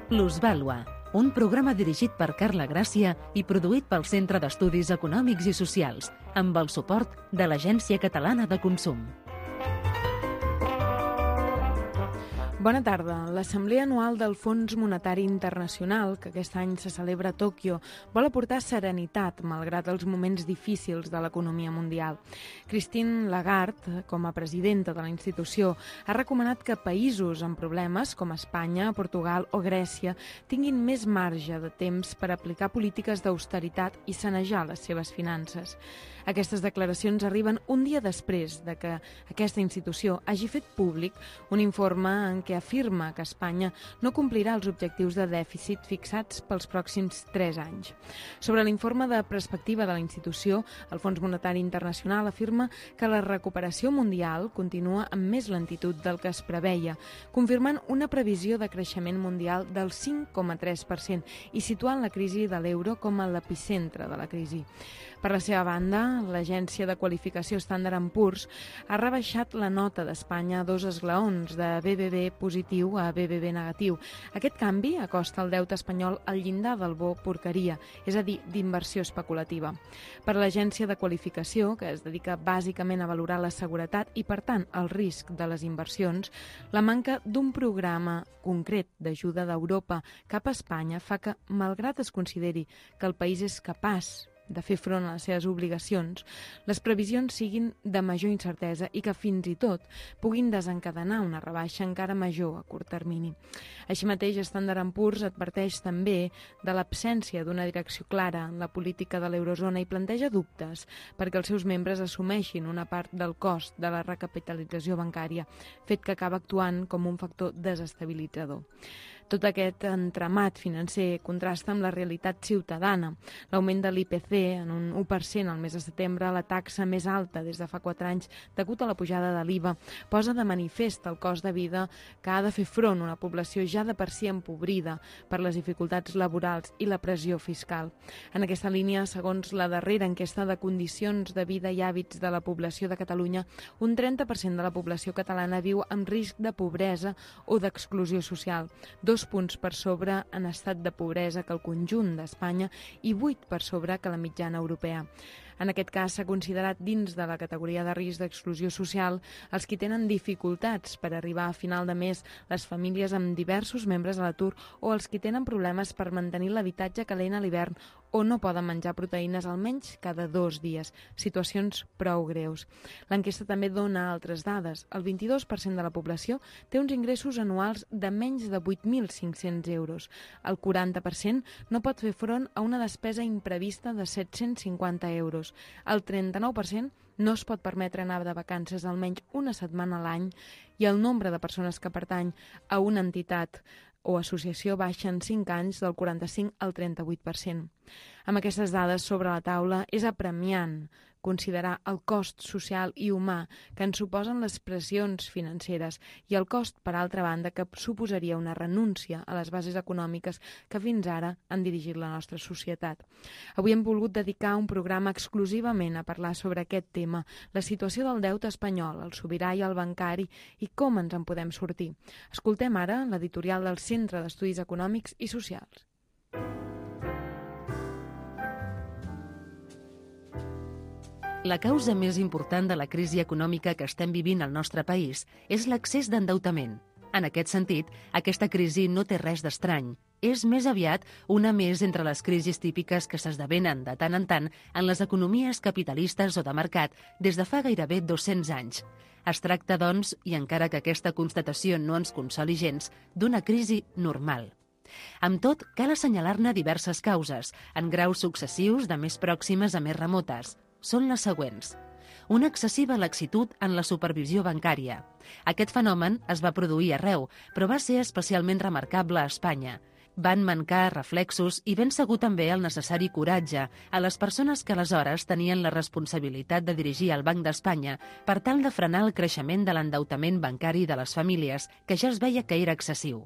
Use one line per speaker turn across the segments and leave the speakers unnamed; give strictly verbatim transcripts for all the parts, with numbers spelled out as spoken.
Plusvàlua, un programa dirigit per Carla Gràcia i produït pel Centre d'Estudis Econòmics i Socials, amb el suport de l'Agència Catalana de Consum.
Bona tarda. L'Assemblea Anual del Fons Monetari Internacional, que aquest any se celebra a Tòquio, vol aportar serenitat malgrat els moments difícils de l'economia mundial. Christine Lagarde, com a presidenta de la institució, ha recomanat que països amb problemes com Espanya, Portugal o Grècia tinguin més marge de temps per aplicar polítiques d'austeritat i sanejar les seves finances. Aquestes declaracions arriben un dia després de que aquesta institució hagi fet públic un informe en què afirma que Espanya no complirà els objectius de dèficit fixats pels pròxims tres anys. Sobre l'informe de perspectiva de la institució, el Fons Monetari Internacional afirma que la recuperació mundial continua amb més lentitud del que es preveia, confirmant una previsió de creixement mundial del cinc coma tres per cent i situant la crisi de l'euro com a l'epicentre de la crisi. Per la seva banda, l'agència de qualificació Standard and Poor's ha rebaixat la nota d'Espanya a dos esglaons, de B B B positiu a B B B negatiu. Aquest canvi acosta el deute espanyol al llindar del bo porqueria, és a dir, d'inversió especulativa. Per l'agència de qualificació, que es dedica bàsicament a valorar la seguretat i, per tant, el risc de les inversions, la manca d'un programa concret d'ajuda d'Europa cap a Espanya fa que, malgrat es consideri que el país és capaç de fer front a les seves obligacions, les previsions siguin de major incertesa i que fins i tot puguin desencadenar una rebaixa encara major a curt termini. Així mateix, Standard and Poor's adverteix també de l'absència d'una direcció clara en la política de l'eurozona i planteja dubtes perquè els seus membres assumeixin una part del cost de la recapitalització bancària, fet que acaba actuant com un factor desestabilitzador. Tot aquest entramat financer contrasta amb la realitat ciutadana. L'augment de l'I P C en un u per cent al mes de setembre, la taxa més alta des de fa quatre anys degut a la pujada de l'I V A, posa de manifest el cost de vida que ha de fer front una població ja de per si empobrida per les dificultats laborals i la pressió fiscal. En aquesta línia, segons la darrera enquesta de condicions de vida i hàbits de la població de Catalunya, un trenta per cent de la població catalana viu amb risc de pobresa o d'exclusió social, dos punts per sobre en estat de pobresa que el conjunt d'Espanya i vuit per sobre que la mitjana europea. En aquest cas, s'ha considerat dins de la categoria de risc d'exclusió social els qui tenen dificultats per arribar a final de mes, les famílies amb diversos membres a l'atur o els qui tenen problemes per mantenir l'habitatge calent a l'hivern o no poden menjar proteïnes almenys cada dos dies, situacions prou greus. L'enquesta també dona altres dades. El vint-i-dos per cent de la població té uns ingressos anuals de menys de vuit mil cinc-cents euros. El quaranta per cent no pot fer front a una despesa imprevista de set-cents cinquanta euros. El trenta-nou per cent no es pot permetre anar de vacances almenys una setmana a l'any i el nombre de persones que pertany a una entitat o associació baixa en cinc anys del quaranta-cinc al trenta-vuit per cent. Amb aquestes dades sobre la taula, és apremiant considerar el cost social i humà que ens suposen les pressions financeres i el cost, per altra banda, que suposaria una renúncia a les bases econòmiques que fins ara han dirigit la nostra societat. Avui hem volgut dedicar un programa exclusivament a parlar sobre aquest tema, la situació del deute espanyol, el sobirà i el bancari i com ens en podem sortir. Escoltem ara l'editorial del Centre d'Estudis Econòmics i Socials.
La causa més important de la crisi econòmica que estem vivint al nostre país és l'accés d'endeutament. En aquest sentit, aquesta crisi no té res d'estrany. És més aviat una més entre les crisis típiques que s'esdevenen de tant en tant en les economies capitalistes o de mercat des de fa gairebé dos-cents anys. Es tracta, doncs, i encara que aquesta constatació no ens consoli gens, d'una crisi normal. Amb tot, cal assenyalar-ne diverses causes, en graus successius de més pròximes a més remotes. Són les següents. Una excessiva laxitud en la supervisió bancària. Aquest fenomen es va produir arreu, però va ser especialment remarcable a Espanya. Van mancar reflexos i ben segur també el necessari coratge a les persones que aleshores tenien la responsabilitat de dirigir el Banc d'Espanya per tal de frenar el creixement de l'endeutament bancari de les famílies, que ja es veia que era excessiu.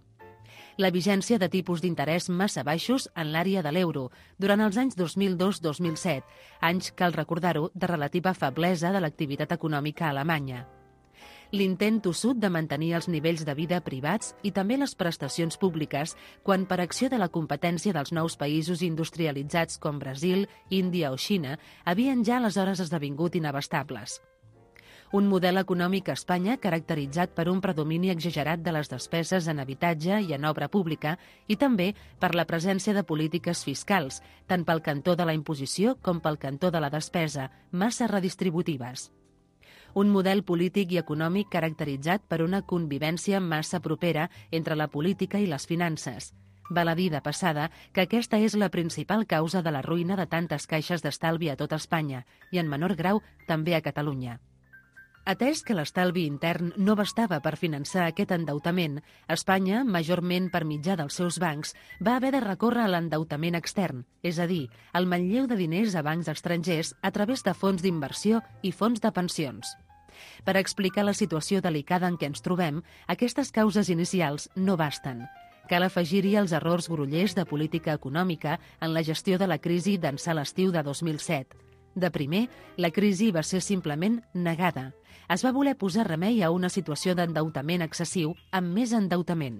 La vigència de tipus d'interès massa baixos en l'àrea de l'euro durant els anys dos mil dos dos mil set, anys, cal recordar-ho, de relativa feblesa de l'activitat econòmica alemanya. L'intent tossut de mantenir els nivells de vida privats i també les prestacions públiques quan, per acció de la competència dels nous països industrialitzats com Brasil, Índia o Xina, havien ja aleshores esdevingut inabastables. Un model econòmic a Espanya caracteritzat per un predomini exagerat de les despeses en habitatge i en obra pública i també per la presència de polítiques fiscals, tant pel cantó de la imposició com pel cantó de la despesa, massa redistributives. Un model polític i econòmic caracteritzat per una convivència massa propera entre la política i les finances. Val a dir de passada que aquesta és la principal causa de la ruïna de tantes caixes d'estalvi a tot Espanya i, en menor grau, també a Catalunya. Atès que l'estalvi intern no bastava per finançar aquest endeutament, Espanya, majorment per mitjà dels seus bancs, va haver de recórrer a l'endeutament extern, és a dir, al manlleu de diners a bancs estrangers a través de fons d'inversió i fons de pensions. Per explicar la situació delicada en què ens trobem, aquestes causes inicials no basten. Cal afegir-hi els errors grollers de política econòmica en la gestió de la crisi d'ençà l'estiu de dos mil set. De primer, la crisi va ser simplement negada. Es va voler posar remei a una situació d'endeutament excessiu amb més endeutament.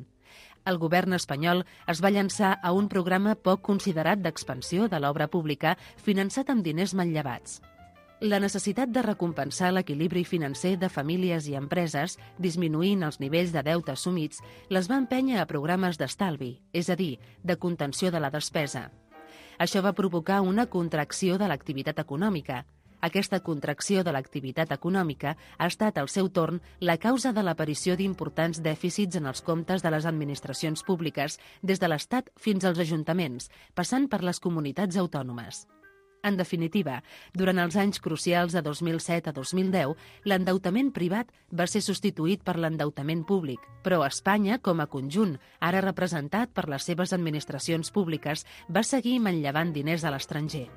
El govern espanyol es va llançar a un programa poc considerat d'expansió de l'obra pública finançat amb diners manllevats. La necessitat de recompensar l'equilibri financer de famílies i empreses, disminuint els nivells de deute assumits, les va empènyer a programes d'estalvi, és a dir, de contenció de la despesa. Això va provocar una contracció de l'activitat econòmica. Aquesta contracció de l'activitat econòmica ha estat, al seu torn, la causa de l'aparició d'importants dèficits en els comptes de les administracions públiques, des de l'Estat fins als ajuntaments, passant per les comunitats autònomes. En definitiva, durant els anys crucials de dos mil set a dos mil deu, l'endeutament privat va ser substituït per l'endeutament públic, però Espanya, com a conjunt, ara representat per les seves administracions públiques, va seguir manllevant diners a l'estranger.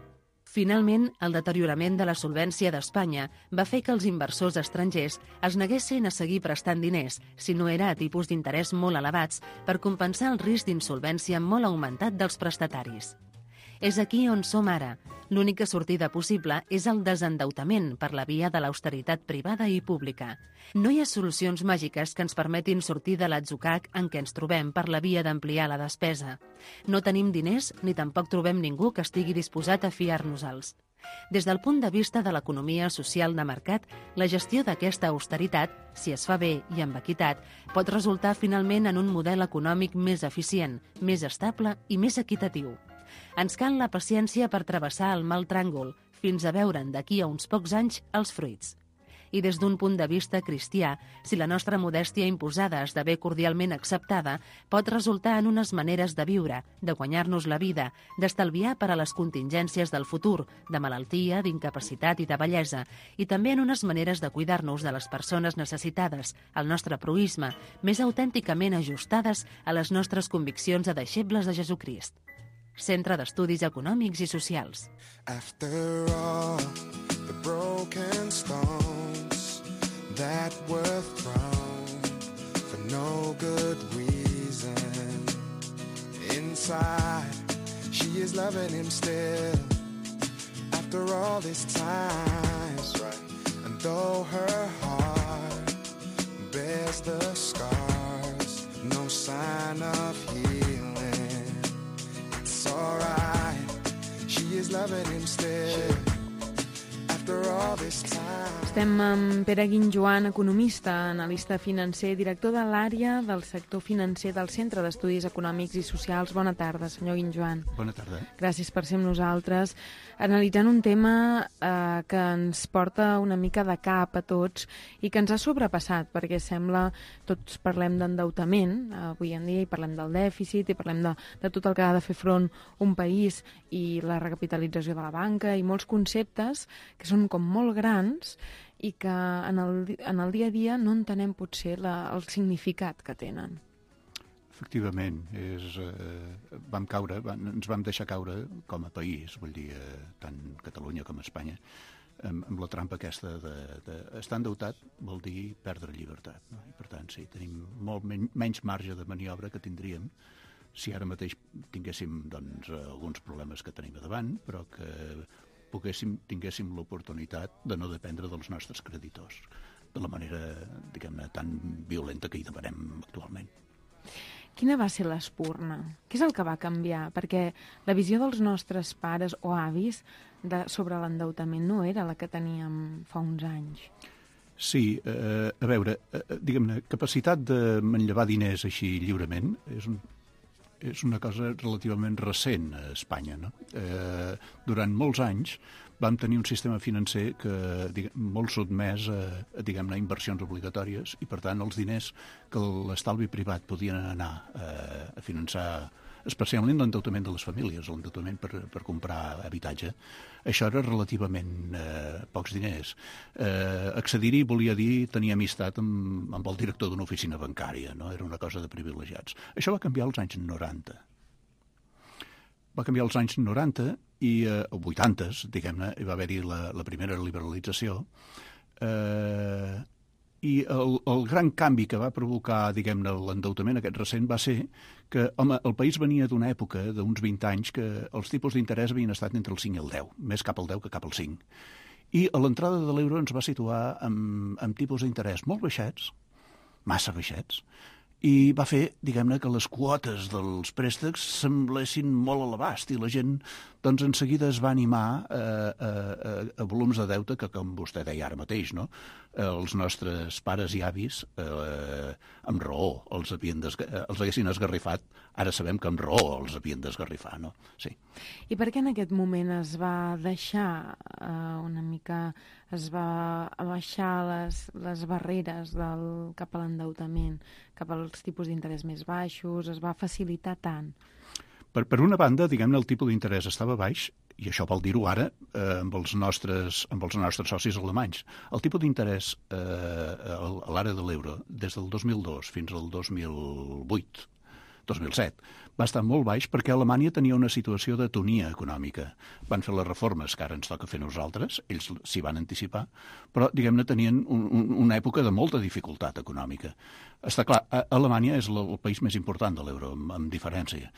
Finalment, el deteriorament de la solvència d'Espanya va fer que els inversors estrangers es neguessin a seguir prestant diners, si no era a tipus d'interès molt elevats, per compensar el risc d'insolvència molt augmentat dels prestataris. És aquí on som ara. L'única sortida possible és el desendeutament per la via de l'austeritat privada i pública. No hi ha solucions màgiques que ens permetin sortir de l'atzucac en què ens trobem per la via d'ampliar la despesa. No tenim diners ni tampoc trobem ningú que estigui disposat a fiar-nos-els. Des del punt de vista de l'economia social de mercat, la gestió d'aquesta austeritat, si es fa bé i amb equitat, pot resultar finalment en un model econòmic més eficient, més estable i més equitatiu. Ens cal la paciència per travessar el mal tràngol, fins a veure'n d'aquí a uns pocs anys els fruits. I des d'un punt de vista cristià, si la nostra modèstia imposada esdevé cordialment acceptada, pot resultar en unes maneres de viure, de guanyar-nos la vida, d'estalviar per a les contingències del futur, de malaltia, d'incapacitat i de bellesa, i també en unes maneres de cuidar-nos de les persones necessitades, el nostre proïsme, més autènticament ajustades a les nostres conviccions de deixebles de Jesucrist. Centre d'Estudis Econòmics i Socials.
After all the broken stones that were thrown for no good reason, inside she is loving him still after all this time. That's right. And though her heart bears the scars, no sign of healing. Alright, she is loving him still after all this time.
Estem amb Pere Guinjoan, economista, analista financer, director de l'àrea del sector financer del Centre d'Estudis Econòmics i Socials. Bona tarda, senyor Guinjoan.
Bona tarda.
Gràcies per ser amb nosaltres. Analitzant un tema eh, que ens porta una mica de cap a tots i que ens ha sobrepassat, perquè sembla, tots parlem d'endeutament, eh, avui en dia, i parlem del dèficit, i parlem de, de tot el que ha de fer front un país i la recapitalització de la banca i molts conceptes que són com molt grans i que en el, en el dia a dia no entenem potser la, el significat que tenen.
Efectivament, és, eh, vam caure, van, ens vam deixar caure com a país, vull dir, eh, tant Catalunya com Espanya, amb, amb la trampa aquesta de, de estar endeutat vol dir perdre llibertat, no? I per tant, sí, tenim molt men menys marge de maniobra que tindríem si ara mateix tinguéssim doncs, alguns problemes que tenim a davant, però que poguéssim, tinguéssim l'oportunitat de no dependre dels nostres creditors. de la manera, diguem-ne, tan violenta que hi demanem actualment.
Quina va ser l'espurna? Què és el que va canviar? Perquè la visió dels nostres pares o avis de, sobre l'endeutament no era la que teníem fa uns anys.
Sí, eh, a veure, eh, diguem-ne, capacitat de manllevar diners així lliurement és, un, és una cosa relativament recent a Espanya, no? Eh, durant molts anys vam tenir un sistema financer que diguem, molt sotmès a, a, diguem-ne, inversions obligatòries i, per tant, els diners que l'estalvi privat podien anar eh, a finançar, especialment l'endeutament de les famílies, l'endeutament per, per comprar habitatge, això era relativament eh, pocs diners. Eh, accedir-hi volia dir tenir amistat amb, amb el director d'una oficina bancària, no? Era una cosa de privilegiats. Això va canviar als anys noranta. Va canviar als anys noranta i eh, vuitantes, diguem-ne, hi va haver-hi la, la primera liberalització, eh, i el, el gran canvi que va provocar, diguem-ne, l'endeutament aquest recent va ser que, home, el país venia d'una època, d'uns vint anys, que els tipus d'interès havien estat entre el cinc i el deu, més cap al deu que cap al cinc. I a l'entrada de l'euro ens va situar amb, amb tipus d'interès molt baixets, massa baixets, i va fer, diguem-ne, que les quotes dels préstecs semblessin molt a l'abast i la gent, doncs, en seguida es va animar a, a, a, a volums de deute que, com vostè deia ara mateix, no? Els nostres pares i avis, eh, amb raó, els, havien els haguessin esgarrifat, ara sabem que amb raó els havien d'esgarrifar, no? Sí.
I per què en aquest moment es va deixar eh, una mica, es va baixar les, les barreres del, cap a l'endeutament, cap als tipus d'interès més baixos, es va facilitar tant?
Per, per una banda, diguem-ne, el tipus d'interès estava baix, i això vol dir-ho ara eh, amb, els nostres, amb els nostres socis alemanys. El tipus d'interès eh, a l'àrea de l'euro, des del dos mil dos fins al dos mil vuit, dos mil set, va estar molt baix perquè Alemanya tenia una situació d'atonia econòmica. Van fer les reformes que ara ens toca fer nosaltres, ells s'hi van anticipar, però, diguem-ne, tenien un, un, una època de molta dificultat econòmica. Està clar, Alemanya és el país més important de l'euro, amb, amb diferència.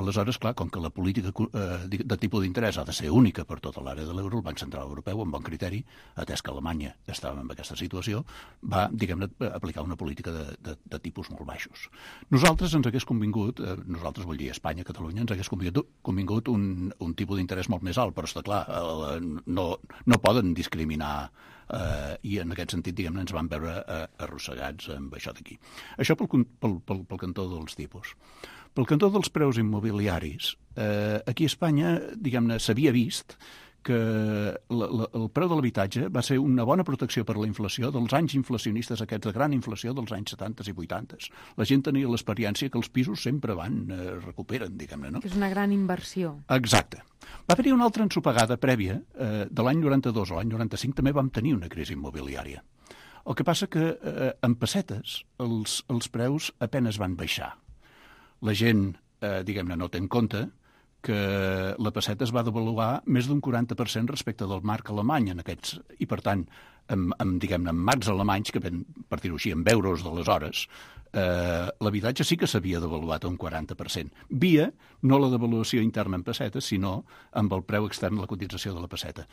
Aleshores, clar, com que la política eh, de tipus d'interès ha de ser única per tota l'àrea de l'euro, el Banc Central Europeu, amb bon criteri, atès que Alemanya estava en aquesta situació, va, diguem-ne, aplicar una política de, de, de tipus molt baixos. Nosaltres ens hagués convingut, eh, nosaltres vull dir Espanya, Catalunya, ens hagués convingut, convingut un, un tipus d'interès molt més alt, però està clar, eh, no, no poden discriminar Uh, i en aquest sentit, diguem-ne, ens van veure uh, arrossegats amb això d'aquí. Això pel, pel, pel, pel cantó dels tipus. Pel cantó dels preus immobiliaris, uh, aquí a Espanya, diguem-ne, s'havia vist que la, la, el preu de l'habitatge va ser una bona protecció per a la inflació dels anys inflacionistes aquests de gran inflació dels anys setanta i vuitanta. La gent tenia l'experiència que els pisos sempre van, eh, recuperen, diguem-ne, no?
Que és una gran inversió.
Exacte. Va haver-hi una altra ensopegada prèvia, eh, de l'any noranta-dos a l'any noranta-cinc també vam tenir una crisi immobiliària. El que passa que eh, en pessetes els, els preus apenes van baixar. La gent, eh, diguem-ne, no té en compte que la pesseta es va devaluar més d'un quaranta per cent respecte del marc alemany en aquests, i per tant, amb, amb, diguem-ne, amb marcs alemanys, que ven, per dir-ho així, amb euros d'aleshores, eh, l'habitatge sí que s'havia devaluat a un quaranta per cent. Via, no la devaluació interna en pessetes, sinó amb el preu extern de la cotització de la pesseta.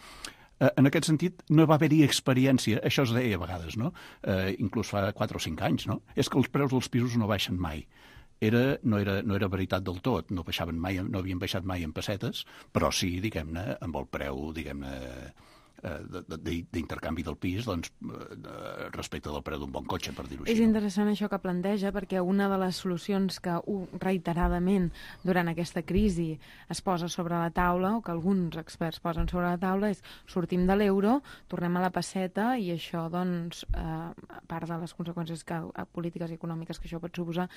Eh, en aquest sentit, no va haver-hi experiència, això es deia a vegades, no? Eh, inclús fa quatre o cinc anys, no? És que els preus dels pisos no baixen mai. Era, no, era, no era veritat del tot, no baixaven mai, no havien baixat mai en pessetes, però sí, diguem-ne, amb el preu, diguem-ne, d'intercanvi del pis, doncs, respecte del preu d'un bon cotxe, per dir-ho així.
És interessant això que planteja, perquè una de les solucions que reiteradament durant aquesta crisi es posa sobre la taula, o que alguns experts posen sobre la taula, és sortim de l'euro, tornem a la pesseta, i això, doncs, eh, a part de les conseqüències que, polítiques i econòmiques que això pot suposar,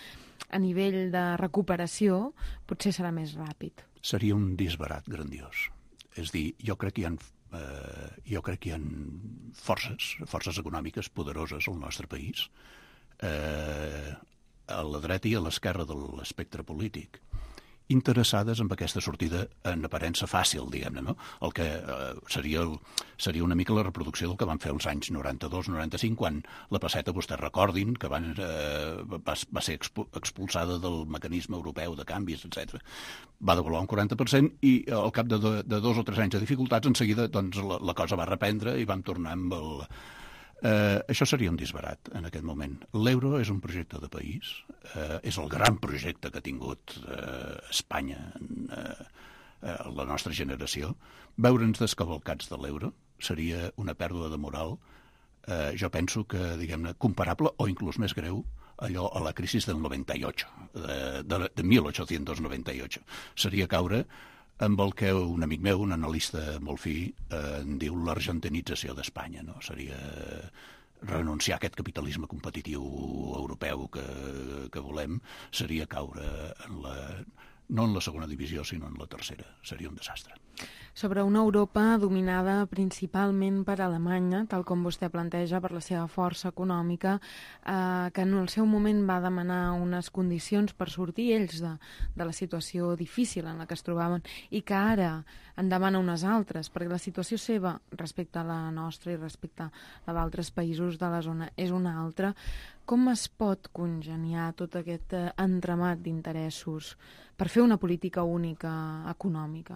a nivell de recuperació, potser serà més ràpid.
Seria un disbarat grandiós. És dir, jo crec que hi ha Uh, jo crec que hi ha forces, forces econòmiques poderoses al nostre país, uh, a la dreta i a l'esquerra de l'espectre polític, interessades en aquesta sortida en aparença fàcil, diguem-ne, no? El que eh, seria, el, seria una mica la reproducció del que van fer els anys noranta-dos noranta-cinc, quan la pesseta, vostès recordin, que van, eh, va, va ser expulsada del mecanisme europeu de canvis, etcètera. Va devaluar un quaranta per cent i al cap de, do, de dos o tres anys de dificultats, en seguida doncs, la, la cosa va reprendre i vam tornar amb el, Eh, això seria un disbarat en aquest moment. L'euro és un projecte de país, eh, és el gran projecte que ha tingut eh, Espanya en eh, eh, la nostra generació. Veure'ns descavalcats de l'euro seria una pèrdua de moral, eh, jo penso que, diguem-ne, comparable o inclús més greu allò a la crisi del noventa y ocho, de, de, de mil ochocientos noventa y ocho. Seria caure amb el que un amic meu, un analista molt fi, eh, en diu l'argentinització d'Espanya, no? Seria renunciar a aquest capitalisme competitiu europeu que, que volem, seria caure en la, no en la segona divisió, sinó en la tercera. Seria un desastre.
Sobre una Europa dominada principalment per Alemanya, tal com vostè planteja, per la seva força econòmica, eh, que en el seu moment va demanar unes condicions per sortir ells de, de la situació difícil en la que es trobaven i que ara en demana unes altres, perquè la situació seva respecte a la nostra i respecte a la d'altres països de la zona és una altra. Com es pot congeniar tot aquest eh, entramat d'interessos per fer una política única econòmica?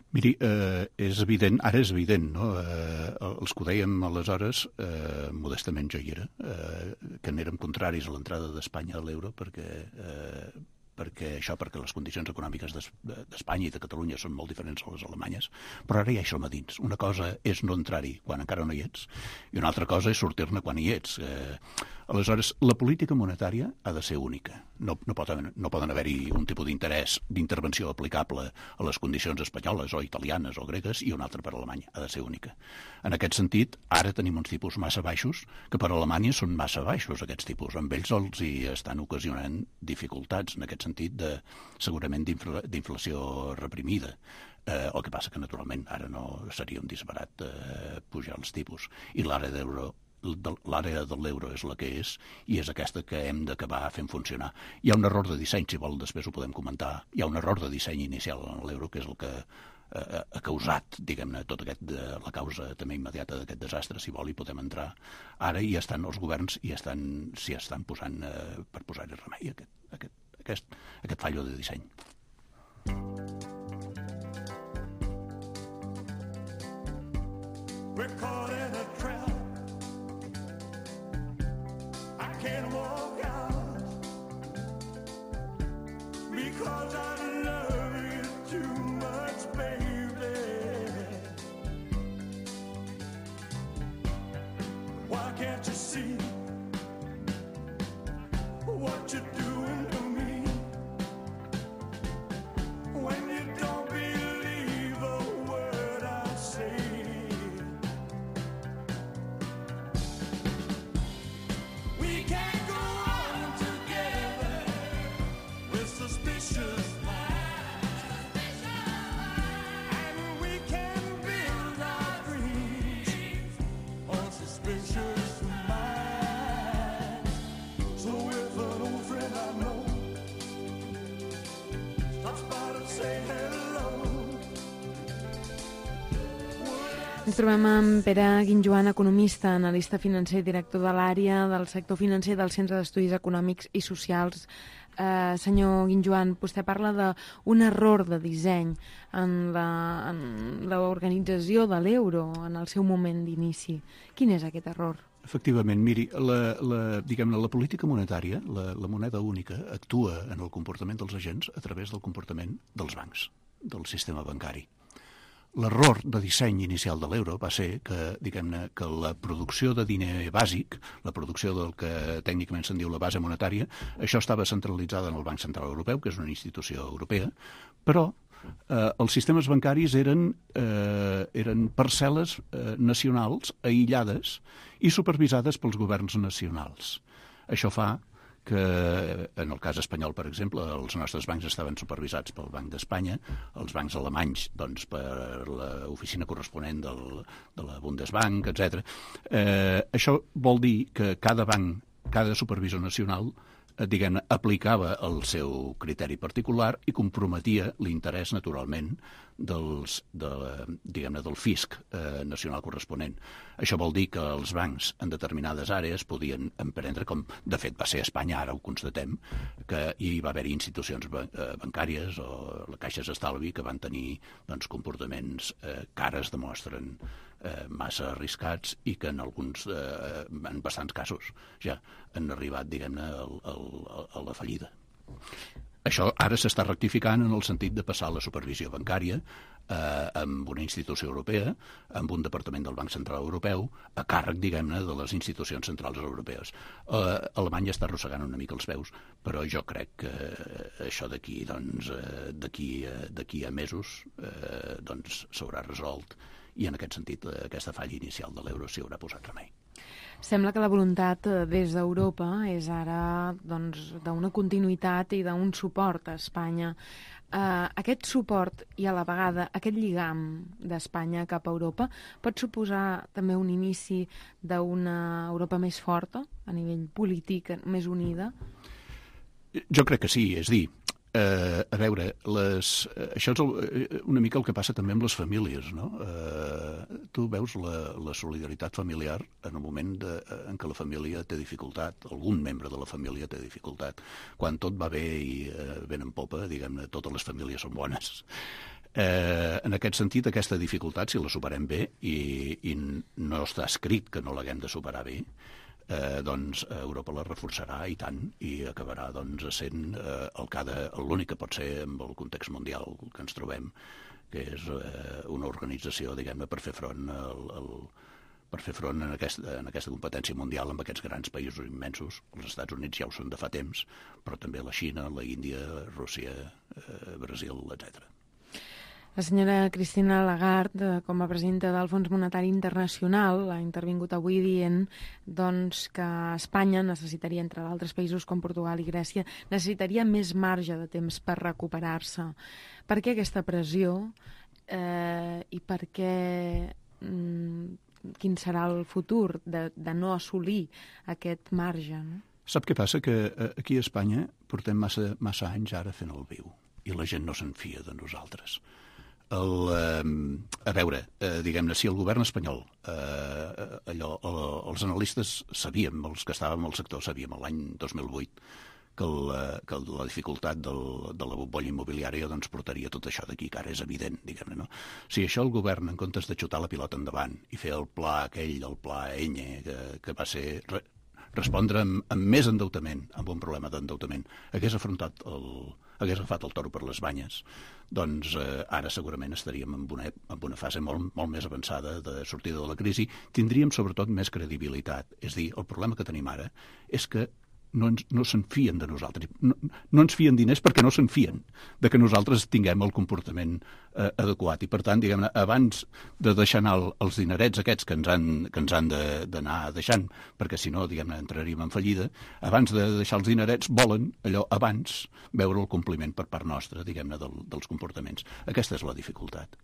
Miri, eh, és evident, ara és evident, no? Eh, els que ho dèiem aleshores, eh, modestament jo hi era, eh, que n'érem contraris a l'entrada d'Espanya a l'euro, perquè, eh, perquè això, perquè les condicions econòmiques d'Espanya i de Catalunya són molt diferents a les alemanyes, però ara ja hi som a dins. Una cosa és no entrar-hi quan encara no hi ets, i una altra cosa és sortir-ne quan hi ets. Eh, aleshores, la política monetària ha de ser única. No, no poden, no poden haver-hi un tipus d'interès, d'intervenció aplicable a les condicions espanyoles o italianes o gregues i un altre per a Alemanya. Ha de ser única. En aquest sentit, ara tenim uns tipus massa baixos, que per a Alemanya són massa baixos, aquests tipus. Amb ells els hi estan ocasionant dificultats, en aquest sentit, de, segurament d'inflació reprimida. Eh, el que passa que, naturalment, ara no seria un disbarat eh, pujar els tipus. I l'àrea d'euro l'àrea de l'euro és la que és i és aquesta que hem d'acabar fent funcionar. Hi ha un error de disseny, si vol, després ho podem comentar. Hi ha un error de disseny inicial en l'euro, que és el que eh, ha causat, diguem-ne, tot aquest, de, la causa també immediata d'aquest desastre. Si vol, hi podem entrar. Ara hi estan els governs i estan, s'hi estan posant eh, per posar-hi remei aquest, aquest, aquest, aquest fallo de disseny.
We're caught in a trap. Can't walk out because I love you too much, baby. Why can't you see what you're doing to me when you don't believe a word I say?
Ens trobem amb Pere Guinjoan, economista, analista financer i director de l'àrea del sector financer del Centre d'Estudis Econòmics i Socials. Eh, senyor Guinjoan, vostè parla d'un error de disseny en l'organització de l'euro en el seu moment d'inici. Quin és aquest error?
Efectivament, miri, la, la, diguem-ne, la política monetària, la, la moneda única, actua en el comportament dels agents a través del comportament dels bancs, del sistema bancari. L'error de disseny inicial de l'euro va ser que, diguem-ne, que la producció de diner bàsic, la producció del que tècnicament se'n diu la base monetària, això estava centralitzada en el Banc Central Europeu, que és una institució europea, però eh, els sistemes bancaris eren, eh, eren parcel·les eh, nacionals aïllades i supervisades pels governs nacionals. Això fa que en el cas espanyol, per exemple, els nostres bancs estaven supervisats pel Banc d'Espanya, els bancs alemanys doncs, per l'oficina corresponent del, de la Bundesbank, etcètera. Eh, això vol dir que cada banc, cada supervisor nacional, eh, diguem-ne, aplicava el seu criteri particular i comprometia l'interès, naturalment, dels, de, diguem-ne, del fisc eh, nacional corresponent. Això vol dir que els bancs en determinades àrees podien emprendre, com de fet va ser a Espanya, ara ho constatem, que hi va haver institucions bancàries o les caixes d'estalvi que van tenir doncs, comportaments eh, que ara es demostren eh, massa arriscats i que en alguns, eh, en bastants casos, ja han arribat, diguem-ne, al, al, a la fallida. Això ara s'està rectificant en el sentit de passar la supervisió bancària eh, amb una institució europea, amb un departament del Banc Central Europeu, a càrrec, diguem-ne, de les institucions centrals europees. Eh, Alemanya està arrossegant una mica els peus, però jo crec que això d'aquí doncs, eh, d'aquí d'aquí a mesos eh, doncs s'haurà resolt i en aquest sentit eh, aquesta falla inicial de l'euro s'hi haurà posat remei.
Sembla que la voluntat des d'Europa és ara doncs, d'una continuïtat i d'un suport a Espanya. Uh, aquest suport i a la vegada aquest lligam d'Espanya cap a Europa pot suposar també un inici d'una Europa més forta a nivell polític, més unida?
Jo crec que sí, és dir, eh, a veure, les, això és el, una mica el que passa també amb les famílies, no? Eh, tu veus la, la solidaritat familiar en el moment de, en què la família té dificultat, algun membre de la família té dificultat. Quan tot va bé i eh, ben en popa, diguem-ne, totes les famílies són bones. Eh, en aquest sentit, aquesta dificultat, si la superem bé, i, i no està escrit que no l'haguem de superar bé, Eh, doncs Europa la reforçarà i tant i acabarà doncs, sent eh, el que ha de, l'únic que pot ser amb el context mundial que ens trobem, que és eh, una organització, diguem-ne, per fer front al, al, per fer front en aquesta, en aquesta competència mundial amb aquests grans països immensos. Els Estats Units ja ho són de fa temps, però també la Xina, la Índia, Rússia, eh, Brasil, etcètera.
La senyora Christine Lagarde, com a presidenta del Fons Monetari Internacional, ha intervingut avui dient doncs, que Espanya necessitaria, entre d'altres països com Portugal i Grècia, necessitaria més marge de temps per recuperar-se. Per què aquesta pressió eh, i per què mm, quin serà el futur de, de no assolir aquest marge? No?
Sap què passa? Que aquí a Espanya portem massa, massa anys ara fent el viu i la gent no se'n fia de nosaltres. El, eh, a veure, eh, diguem-ne, si el govern espanyol, eh, allò, el, els analistes sabíem, els que estàvem al sector sabíem l'any dos mil vuit que, el, que la dificultat del, de la bombolla immobiliària doncs, portaria tot això d'aquí, que ara és evident, diguem-ne, no? Si això el govern, en comptes de xutar la pilota endavant i fer el pla aquell, el pla Enya, que, que va ser re, respondre amb, amb més endeutament, amb un problema d'endeutament, hagués afrontat el hagués agafat el toro per les banyes, doncs eh, ara segurament estaríem en una, en una fase molt, molt més avançada de sortida de la crisi, tindríem sobretot més credibilitat. És a dir, el problema que tenim ara és que no, ens, no se'n fien de nosaltres. No, no ens fien diners perquè no se'n fien de que nosaltres tinguem el comportament eh, adequat. I per tant, diguem-ne, abans de deixar anar el, els dinerets aquests que ens han, que ens han d'anar de, deixant, perquè si no, diguem-ne, entraríem en fallida, abans de deixar els dinerets volen allò abans veure el compliment per part nostra, diguem-ne, del, dels comportaments. Aquesta és la dificultat.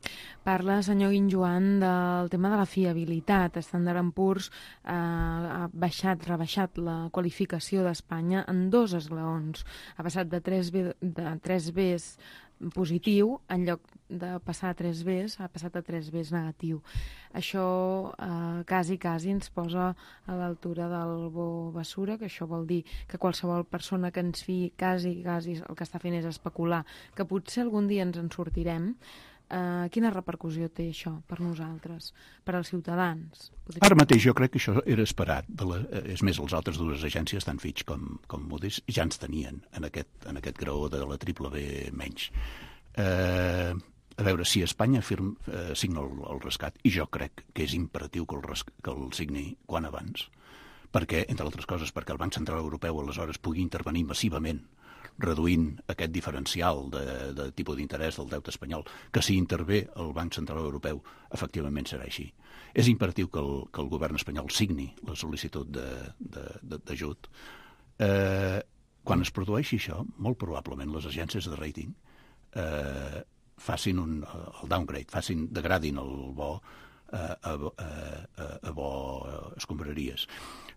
Parla, senyor Guinjoan, del tema de la fiabilitat. Standard and Poor's eh, ha baixat, rebaixat la qualificació de Espanya en dos esglaons. Ha passat de tres Bs positiu, en lloc de passar a tres Bs, ha passat a tres Bs negatiu. Això eh, quasi, quasi ens posa a l'altura del bo basura, que això vol dir que qualsevol persona que ens fiï quasi, quasi el que està fent és especular, que potser algun dia ens en sortirem. Uh, quina repercussió té això per nosaltres, per als ciutadans? Podria...
Ara mateix jo crec que això era esperat. De la, és més, les altres dues agències, tant Fitch com, com Moody's, ja ens tenien en aquest, en aquest graó de la triple B menys. Uh, a veure, si Espanya firm, uh, signa el, el rescat, i jo crec que és imperatiu que el, res, que el signi quan abans, perquè, entre altres coses, perquè el Banc Central Europeu aleshores pugui intervenir massivament reduint aquest diferencial de, de tipus d'interès del deute espanyol, que si intervé el Banc Central Europeu, efectivament serà així. És imperatiu que el, que el govern espanyol signi la sol·licitud d'ajut. Eh, quan es produeixi això, molt probablement les agències de rating eh, facin un, el downgrade, facin, degradin el bo a, a, a, a bo escombraries.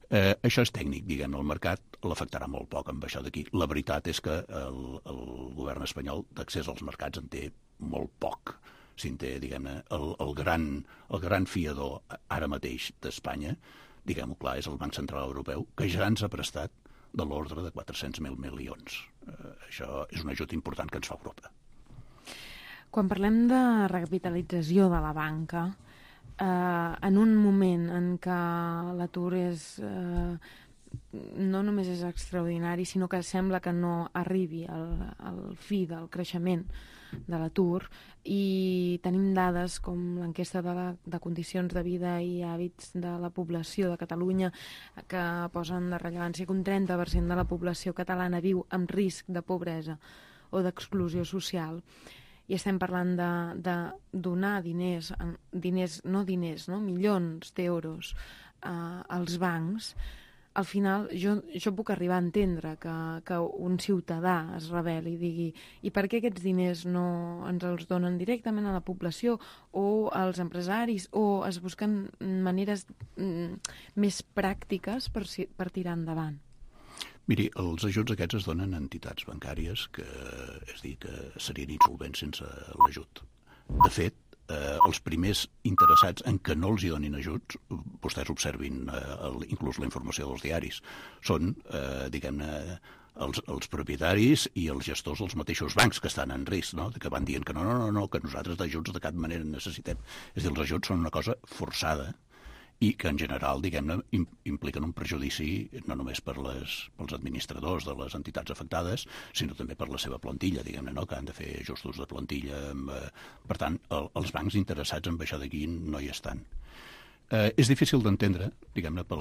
Eh, això és tècnic, diguem, el mercat l'afectarà molt poc amb això d'aquí. La veritat és que el, el govern espanyol d'accés als mercats en té molt poc. Si en té, diguem-ne, el, el, gran, el gran fiador ara mateix d'Espanya, diguem-ho clar, és el Banc Central Europeu, que ja ens ha prestat de l'ordre de quatre-cents mil milions. Eh, això és un ajut important que ens fa Europa.
Quan parlem de recapitalització de la banca, eh, en un moment en què l'atur és... Eh, no només és extraordinari, sinó que sembla que no arribi al, al fi del creixement de l'atur, i tenim dades com l'enquesta de, la, de condicions de vida i hàbits de la població de Catalunya que posen de rellevància que un trenta per cent de la població catalana viu amb risc de pobresa o d'exclusió social. I estem parlant de, de donar diners, diners no diners, no? milions d'euros eh, als bancs. Al final, jo, jo puc arribar a entendre que, que un ciutadà es rebel·li i digui i per què aquests diners no ens els donen directament a la població o als empresaris, o es busquen maneres mm, més pràctiques per, per tirar endavant?
Miri, els ajuts aquests es donen a entitats bancàries que, és dir, que serien insolvents sense l'ajut. De fet, Eh, els primers interessats en que no els hi donin ajuts, vostès observin eh, el, inclús la informació dels diaris, són, eh, diguem-ne, els, els propietaris i els gestors dels mateixos bancs que estan en risc, no? Que van dient que no, no, no, no, que nosaltres d'ajuts de cap manera necessitem. És a dir, els ajuts són una cosa forçada i que en general, diguem-ne, impliquen un perjudici no només per les, pels administradors de les entitats afectades, sinó també per la seva plantilla, diguem-ne, no? Que han de fer ajustos de plantilla. Amb, eh, per tant, el, els bancs interessats en baixar d'aquí no hi estan. Eh, és difícil d'entendre, diguem-ne, per,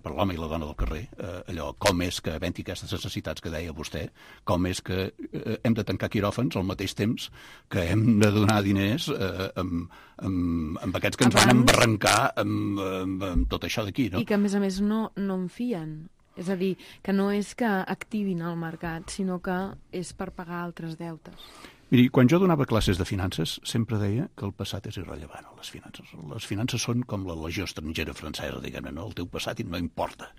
per l'home i la dona del carrer, eh, allò, com és que, havent-hi aquestes necessitats que deia vostè, com és que eh, hem de tancar quiròfans al mateix temps que hem de donar diners eh, amb, amb, amb aquests que ens Abans... van embarrancar amb, amb, amb tot això d'aquí, no?
I que, a més a més, no, no en fien. És a dir, que no és que activin el mercat, sinó que és per pagar altres deutes.
Miri, quan jo donava classes de finances, sempre deia que el passat és irrellevant a les finances. Les finances són com la legió estrangera francesa, diguem-ne, no? El teu passat no importa.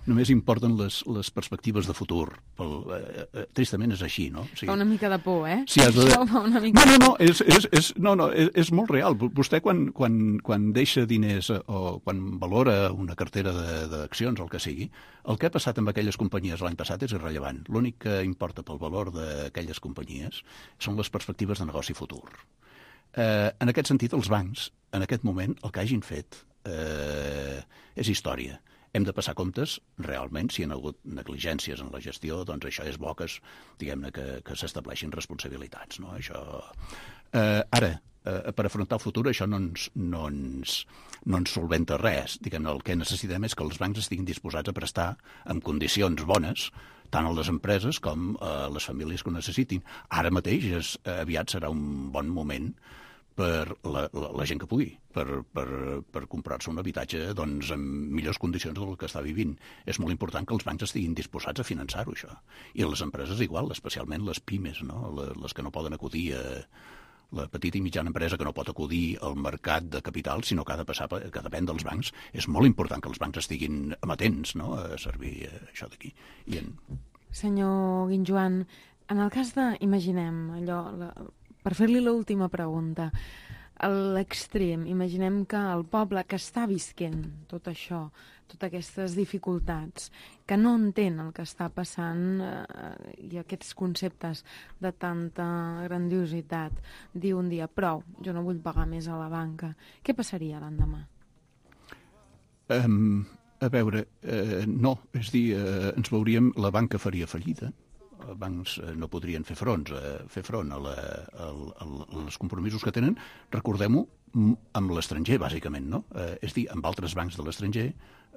Només importen les, les perspectives de futur. Pel, eh, eh, tristament és així, no? O sigui,
fa una mica de por, eh?
Si has de...
Això fa una mica...
No, no, no, és, és, és, no, no, és, és molt real. Vostè quan, quan, quan deixa diners o quan valora una cartera d'accions o el que sigui, el que ha passat amb aquelles companyies l'any passat és irrellevant. L'únic que importa pel valor d'aquelles companyies són les perspectives de negoci futur. Eh, en aquest sentit, els bancs, en aquest moment, el que hagin fet eh, és història. Hem de passar comptes, realment, si hi ha hagut negligències en la gestió, doncs això és bo que, diguem-ne, que, que s'estableixin responsabilitats, no? Això... Eh, ara, eh, per afrontar el futur, això no ens, no ens, no ens solventa res. Diguem-ne, el que necessitem és que els bancs estiguin disposats a prestar en condicions bones tant a les empreses com a les famílies que ho necessitin. Ara mateix és, aviat serà un bon moment per la, la, la gent que pugui, per, per, per comprar-se un habitatge doncs, en millors condicions del que està vivint. És molt important que els bancs estiguin disposats a finançar-ho, això. I les empreses igual, especialment les pimes, no? Les que no poden acudir a... La petita i mitjana empresa que no pot acudir al mercat de capital, sinó que ha de passar, que depèn dels bancs. És molt important que els bancs estiguin amatents, no?, a servir això d'aquí. I en...
Senyor Guinjoan, en el cas de, imaginem, allò, la, per fer-li l'última pregunta, a l'extrem, imaginem que el poble que està visquent tot això, totes aquestes dificultats, que no entén el que està passant eh, i aquests conceptes de tanta grandiositat, diu un dia, prou, jo no vull pagar més a la banca. Què passaria l'endemà?
Um, a veure, uh, no, és dir, uh, ens veuríem, la banca faria fallida, els bancs no podrien fer front, eh, fer front a, la, a, a, a els compromisos que tenen, recordem-ho, amb l'estranger, bàsicament, no? Eh, és dir, amb altres bancs de l'estranger,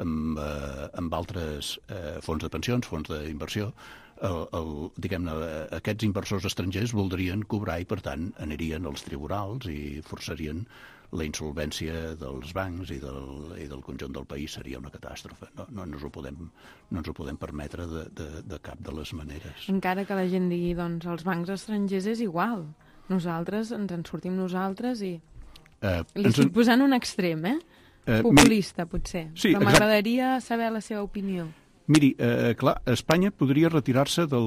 amb, eh, amb altres eh, fons de pensions, fons d'inversió, el, el, diguem-ne, aquests inversors estrangers voldrien cobrar i, per tant, anirien als tribunals i forçarien la insolvència dels bancs i del, i del conjunt del país. Seria una catàstrofe. No, no, no, ens, ho podem, no ens ho podem permetre de, de, de cap de les maneres.
Encara que la gent digui, doncs, els bancs estrangers és igual. Nosaltres ens en sortim nosaltres i... Uh, Li estic en... posant un extrem, eh? Uh, Populista, mi... potser. Sí, però m'agradaria saber la seva opinió.
Miri, eh, clar, Espanya podria retirar-se del,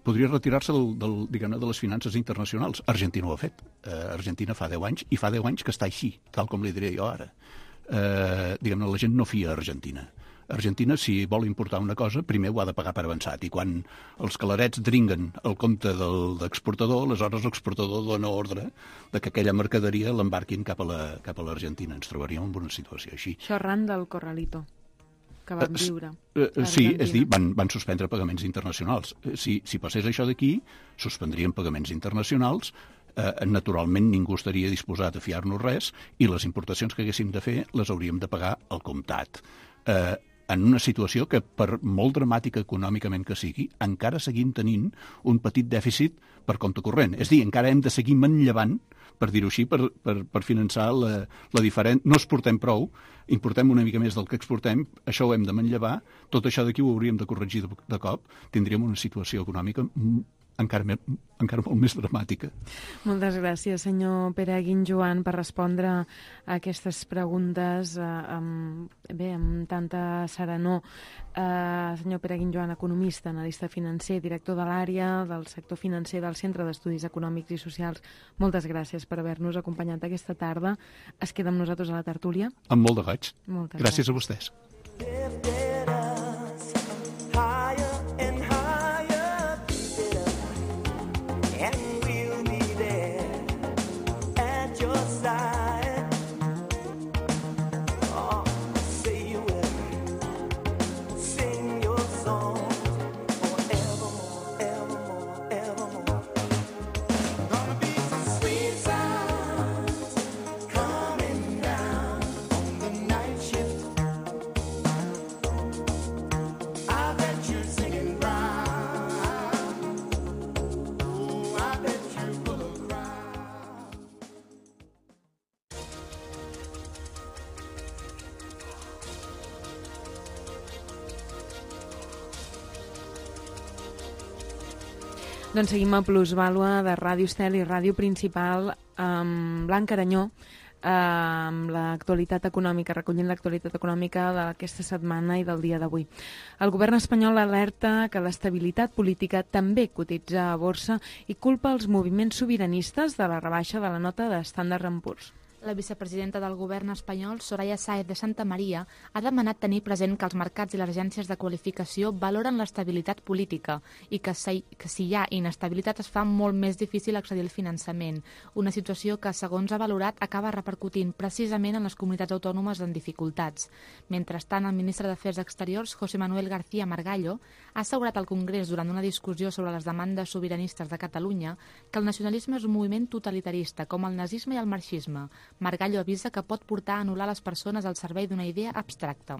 podria retirar-se del, del, diguem-ne, de les finances internacionals. Argentina ho ha fet. Eh, Argentina fa deu anys, i fa deu anys que està així, tal com li diré jo ara. eh, diguem-ne, la gent no fia a Argentina. Argentina, si vol importar una cosa, primer ho ha de pagar per avançat, i quan els calarets dringuen el compte del exportador, aleshores l'exportador dona ordre de que aquella mercaderia l'embarquin cap a la, cap a l'Argentina. Ens trobaríem en una situació així.
Això arran del Corralito que van viure.
Uh, uh, sí, és dir, van, van suspendre pagaments internacionals. Si, si passés això d'aquí, suspendrien pagaments internacionals, eh, naturalment ningú estaria disposat a fiar-nos res, i les importacions que haguéssim de fer les hauríem de pagar al comptat. Eh, en una situació que, per molt dramàtica econòmicament que sigui, encara seguim tenint un petit dèficit per compte corrent. És dir, encara hem de seguir manllevant, per dir-ho així, per, per, per finançar la, la diferent... No exportem prou, importem una mica més del que exportem, això ho hem de manllevar, tot això d'aquí ho hauríem de corregir de, de cop, tindríem una situació econòmica encara, me, encara molt més dramàtica.
Moltes gràcies, senyor Pere Guinjoan, per respondre a aquestes preguntes eh, amb, bé, amb tanta serenor. Eh, senyor Pere Guinjoan, economista, analista financer, director de l'àrea del sector financer del Centre d'Estudis Econòmics i Socials. Moltes gràcies per haver-nos acompanyat aquesta tarda. Es queda amb nosaltres a la tertúlia.
Amb molt de goig.
Moltes
gràcies
gràcies
a vostès.
Doncs seguim a Plusvàlua de Ràdio Estel i Ràdio Principal amb Blanc Aranyó, amb l'actualitat econòmica, recollint l'actualitat econòmica d'aquesta setmana i del dia d'avui. El govern espanyol alerta que l'estabilitat política també cotitza a borsa i culpa els moviments sobiranistes de la rebaixa de la nota d'Standard and Poor's.
La vicepresidenta del govern espanyol, Soraya Sáez de Santamaría, ha demanat tenir present que els mercats i les agències de qualificació valoren l'estabilitat política i que si, que si hi ha inestabilitat es fa molt més difícil accedir al finançament, una situació que, segons ha valorat, acaba repercutint precisament en les comunitats autònomes en dificultats. Mentrestant, el ministre d'Afers Exteriors, José Manuel García Margallo, ha assegurat al Congrés durant una discussió sobre les demandes sobiranistes de Catalunya que el nacionalisme és un moviment totalitarista, com el nazisme i el marxisme. Margallo avisa que pot portar a anul·lar les persones al servei d'una idea abstracta.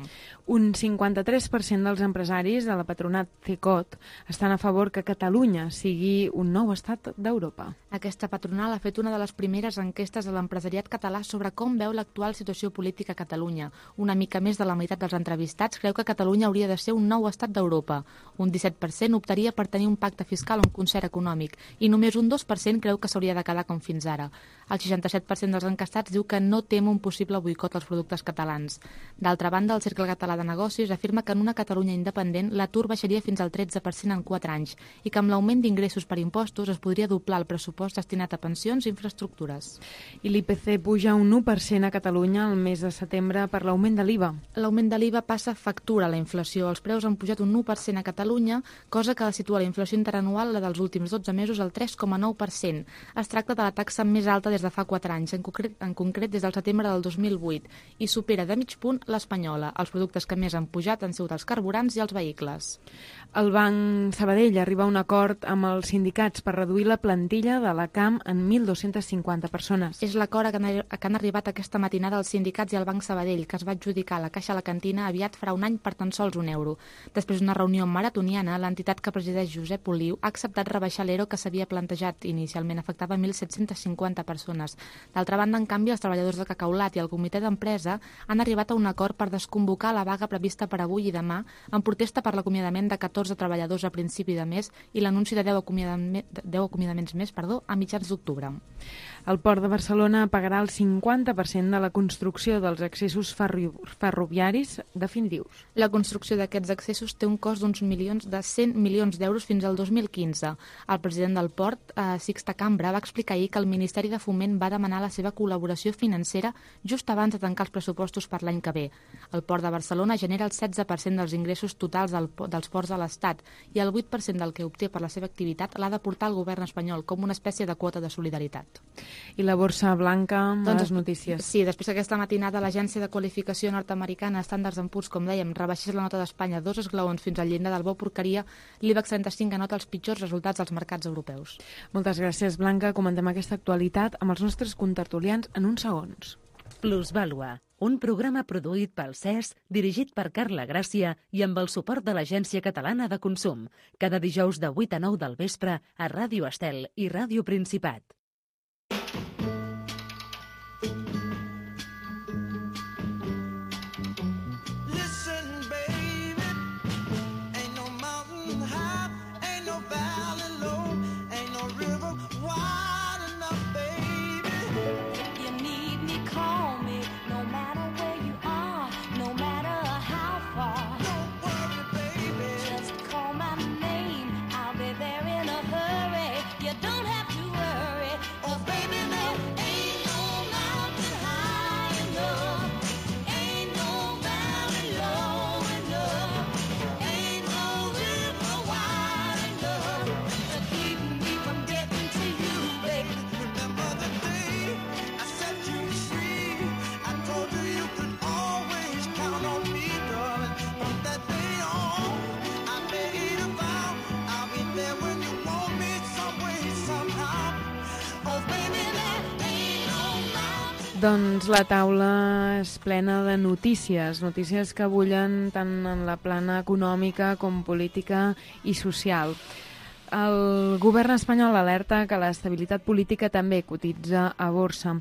Un cinquanta-tres per cent dels empresaris de la patronat CECOT estan a favor que Catalunya sigui un nou estat d'Europa.
Aquesta patronal ha fet una de les primeres enquestes a l'empresariat català sobre com veu l'actual situació política a Catalunya. Una mica més de la meitat dels entrevistats creu que Catalunya hauria de ser un nou estat d'Europa. Un disset per cent optaria per tenir un pacte fiscal o un concert econòmic i només un dos per cent creu que s'hauria de quedar com fins ara. El seixanta-set per cent dels encastats diu que no tem un possible boicot als productes catalans. D'altra banda, el Cercle Català de Negocis afirma que en una Catalunya independent l'atur baixaria fins al tretze per cent en quatre anys i que amb l'augment d'ingressos per impostos es podria doblar el pressupost destinat a pensions i infraestructures.
I l'I P C puja un u per cent a Catalunya el mes de setembre per l'augment de l'I V A.
L'augment de l'I V A passa factura a la inflació. Els preus han pujat un u per cent a Catalunya, cosa que situa la inflació interanual, la dels últims dotze mesos, al tres coma nou per cent. Es tracta de la taxa més alta des de fa quatre anys, en concret, en concret des del setembre del dos mil vuit, i supera de mig punt l'espanyola. Els productes que més han pujat han sigut els carburants i els vehicles.
El Banc Sabadell arriba a un acord amb els sindicats per reduir la plantilla de la C A M en mil dos-centes cinquanta persones.
És l'acord que han, que han arribat aquesta matinada els sindicats i el Banc Sabadell, que es va adjudicar a la Caixa a la Cantina aviat farà un any per tan sols un euro. Després d'una reunió maratoniana, l'entitat que presideix Josep Oliu ha acceptat rebaixar l'E R O que s'havia plantejat inicialment, afectava mil set-centes cinquanta persones. D'altra banda, en canvi, els treballadors de Cacaulat i el comitè d'empresa han arribat a un acord per desconvocar la vaga prevista per avui i demà en protesta per l'acomiadament de catorze treballadors a principi de mes i l'anunci de deu acomiadaments més perdó, a mitjans d'octubre.
El Port de Barcelona pagarà el cinquanta per cent de la construcció dels accessos ferri ferroviaris definitius.
La construcció d'aquests accessos té un cost d'uns milions de cent milions d'euros fins al dos mil quinze. El president del Port, eh, Sixta Cambra, va explicar ahir que el Ministeri de Foment va demanar la seva col·laboració financera just abans de tancar els pressupostos per l'any que ve. El Port de Barcelona genera el setze per cent dels ingressos totals del, dels ports de l'Estat i el vuit per cent del que obté per la seva activitat l'ha de portar el govern espanyol com una espècie de quota de solidaritat.
I la borsa blanca,
doncs,
les notícies.
Sí, després d'aquesta matinada l'agència de qualificació nord-americana Standard and Poor's, com dèiem, rebaixés la nota d'Espanya dos esglaons fins al llindar del bo porqueria, l'IBEX trenta-cinc anota els pitjors resultats dels mercats europeus.
Moltes gràcies, Blanca. Comentem aquesta actualitat amb els nostres contertulians en uns segons.
Plusvàlua, un programa produït pel C E S, dirigit per Carla Gràcia i amb el suport de l'Agència Catalana de Consum, cada dijous de vuit a nou del vespre a Ràdio Estel i Ràdio Principat.
Doncs la taula és plena de notícies, notícies que bullen tant en la plana econòmica com política i social. El govern espanyol alerta que l'estabilitat política també cotitza a borsa.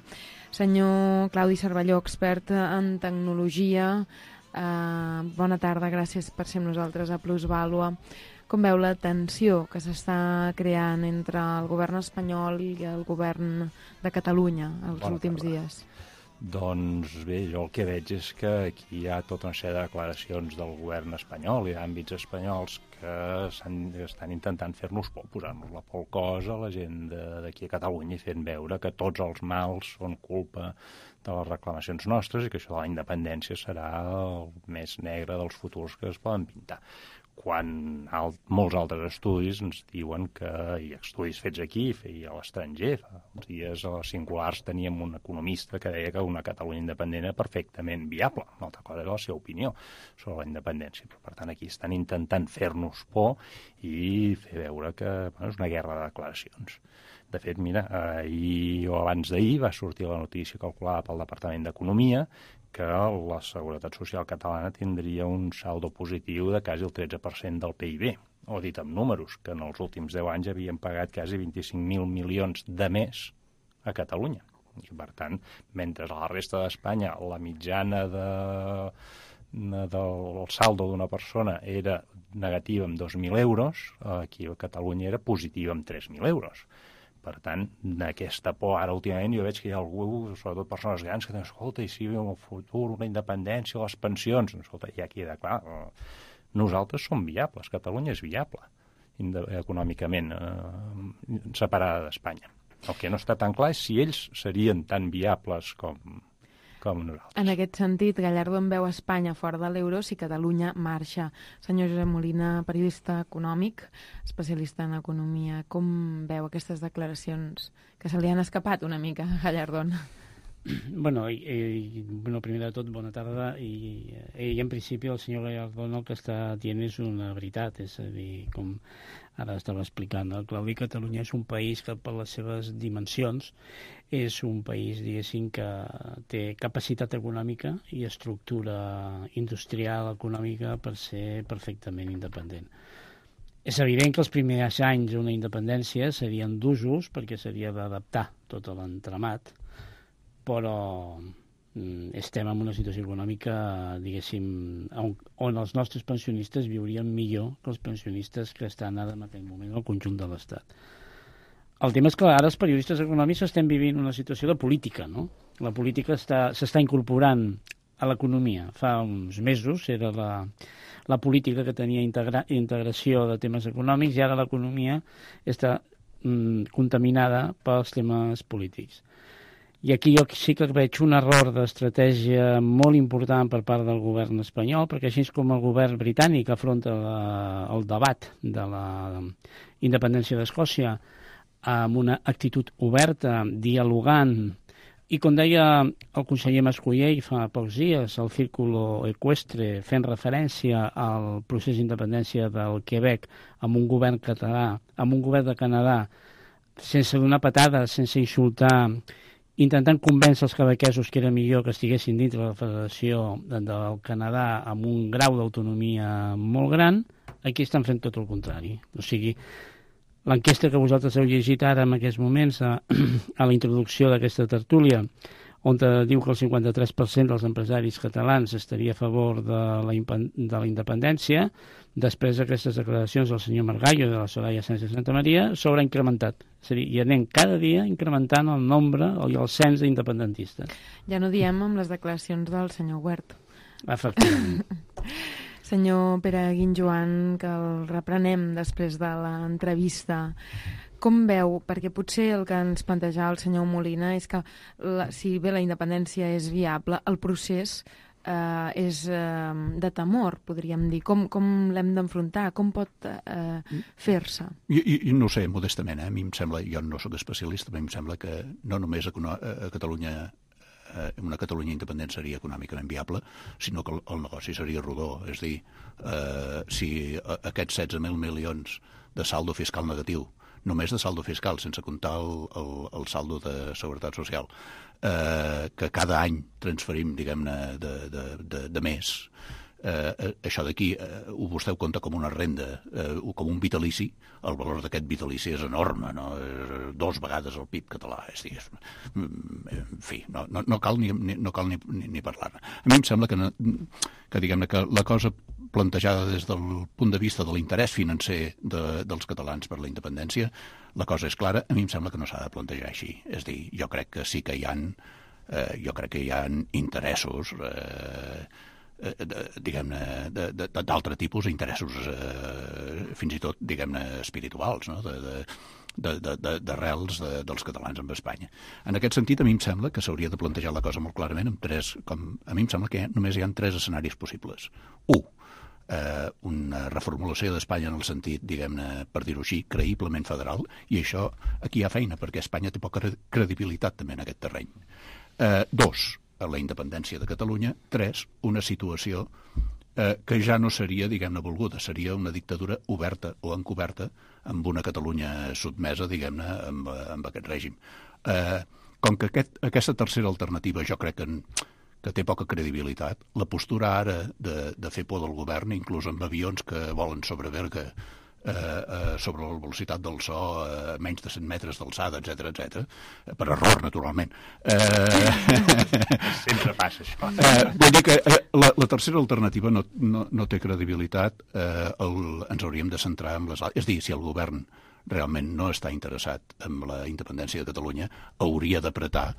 Senyor Claudi Cervelló, expert en tecnologia, eh, bona tarda, gràcies per ser amb nosaltres a Plusvàlua. Com veu la tensió que s'està creant entre el govern espanyol i el govern de Catalunya els
Bona
últims
tarda.
dies?
Doncs bé, jo el que veig és que aquí hi ha tota una sèrie de declaracions del govern espanyol i d'àmbits espanyols que estan intentant fer-nos por, posar-nos la por al cos a la gent d'aquí a Catalunya i fent veure que tots els mals són culpa de les reclamacions nostres i que això de la independència serà el més negre dels futurs que es poden pintar. Quan alt, molts altres estudis ens diuen que hi ha estudis fets aquí i a l'estranger. Fa uns dies a les Singulars teníem un economista que deia que una Catalunya independent era perfectament viable. Una altra cosa era la seva opinió sobre la independència. Però, per tant, aquí estan intentant fer-nos por i fer veure que bueno, és una guerra de declaracions. De fet, mira, ahir o abans d'ahir va sortir la notícia calculada pel Departament d'Economia que la Seguretat Social catalana tindria un saldo positiu de quasi el tretze per cent del P I B, o dit amb números, que en els últims deu anys havien pagat quasi vint-i-cinc mil milions de més a Catalunya. I, per tant, mentre a la resta d'Espanya la mitjana de, de, del saldo d'una persona era negativa amb dos mil euros, aquí a Catalunya era positiva amb tres mil euros. Per tant, d'aquesta por, ara últimament jo veig que hi ha algú, sobretot persones grans, que diuen, escolta, i si en el futur una independència, les pensions, escolta, ja queda clar, nosaltres som viables, Catalunya és viable econòmicament, eh, separada d'Espanya. El que no està tan clar és si ells serien tan viables com, com nosaltres.
En aquest sentit, Gallardo en veu Espanya fora de l'euro si Catalunya marxa. Senyor Josep Molina, periodista econòmic, especialista en economia, com veu aquestes declaracions que se li han escapat una mica a Gallardón?
Bueno, i, i, bueno, primer de tot, bona tarda, i, i en principi el senyor Gallardón el que està dient és una veritat, és a dir, com ara estava explicant el Claudi, Catalunya és un país que per les seves dimensions és un país, diguéssim, que té capacitat econòmica i estructura industrial econòmica per ser perfectament independent. És evident que els primers anys d'una independència serien d'usos perquè s'havia d'adaptar tot l'entramat, però estem en una situació econòmica, diguéssim, on, on els nostres pensionistes viurien millor que els pensionistes que estan ara en aquest moment al conjunt de l'Estat. el tema és que ara els periodistes econòmics estem vivint una situació de política, no? La política s'està incorporant a l'economia. Fa uns mesos era la, la política que tenia integra, integració de temes econòmics i ara l'economia està mm, contaminada pels temes polítics. I aquí jo sí que veig un error d'estratègia molt important per part del govern espanyol, perquè així com el govern britànic afronta la, el debat de la independència d'Escòcia amb una actitud oberta, dialogant, i com deia el conseller Mascolell fa pocs dies, el Círculo Equestre, fent referència al procés d'independència del Quebec amb un govern català, amb un govern de Canadà, sense donar patades, sense insultar, intentant convèncer els quebequesos que era millor que estiguessin dintre de la Federació del Canadà amb un grau d'autonomia molt gran, aquí estan fent tot el contrari. O sigui, l'enquesta que vosaltres heu llegit ara en aquests moments a, a la introducció d'aquesta tertúlia, on diu que el cinquanta-tres per cent dels empresaris catalans estaria a favor de la, de la independència, després d'aquestes declaracions del senyor Margallo i de la Soraya Sánchez Santa Maria, s'haurà incrementat. És a dir, i anem cada dia incrementant el nombre i el cens d'independentistes.
Ja no diem amb les declaracions del senyor Huert.
Efectivament.
Senyor Pere Guinjoan, que el reprenem després de l'entrevista. Com veu, perquè potser el que ens plantejava el senyor Molina és que la, si bé la independència és viable, el procés eh, és eh, de temor, podríem dir. Com, com l'hem d'enfrontar? Com pot eh, fer-se?
I, i, no sé, modestament, eh? A mi em sembla, jo no sóc especialista, però a mi em sembla que no només a, a Catalunya eh, una Catalunya independent seria econòmicament viable, sinó que el, el negoci seria rodó. És a dir, eh, si aquests setze mil milions de saldo fiscal negatiu, només de saldo fiscal, sense comptar el, el, el saldo de seguretat social, eh, que cada any transferim, diguem-ne, de, de, de, de més, eh, això d'aquí eh, ho vostè ho compta com una renda, eh, com un vitalici, el valor d'aquest vitalici és enorme, no? És dos vegades el P I B català, és dir, és, en fi, no, no, no cal, ni, no cal ni, ni, ni parlar-ne. A mi em sembla que, no, que, diguem-ne, que la cosa plantejada des del punt de vista de l'interès financer de, dels catalans per la independència, la cosa és clara, a mi em sembla que no s'ha de plantejar així. És a dir, jo crec que sí que hi ha, eh, jo crec que hi ha interessos, eh, eh, diguem-ne, d'altre tipus, interessos eh, fins i tot, diguem-ne, espirituals, no?, de, de, de, de, de, d'arrels de, dels catalans amb Espanya. En aquest sentit, a mi em sembla que s'hauria de plantejar la cosa molt clarament amb tres, com, a mi em sembla que només hi ha tres escenaris possibles. Un, Eh, una reformulació d'Espanya en el sentit, diguem-ne, per dir-ho així, creïblement federal, i això aquí hi ha feina, perquè Espanya té poca credibilitat també en aquest terreny. Eh, dos, la independència de Catalunya. Tres, una situació eh, que ja no seria, diguem-ne, volguda, seria una dictadura oberta o encoberta amb una Catalunya sotmesa, diguem-ne, amb, amb aquest règim. Eh, com que aquest, aquesta tercera alternativa jo crec que en, que té poca credibilitat. La postura ara de, de fer por del govern, inclús amb avions que volen sobre Berga, eh, eh, sobre la velocitat del so a eh, menys de cent metres d'alçada, etcètera, etcètera, per error, naturalment. Eh,
Sempre passa això.
Eh, vull dir que eh, la, la tercera alternativa no, no, no té credibilitat. Eh, el, ens hauríem de centrar en les... És a dir, si el govern realment no està interessat en la independència de Catalunya, hauria d'apretar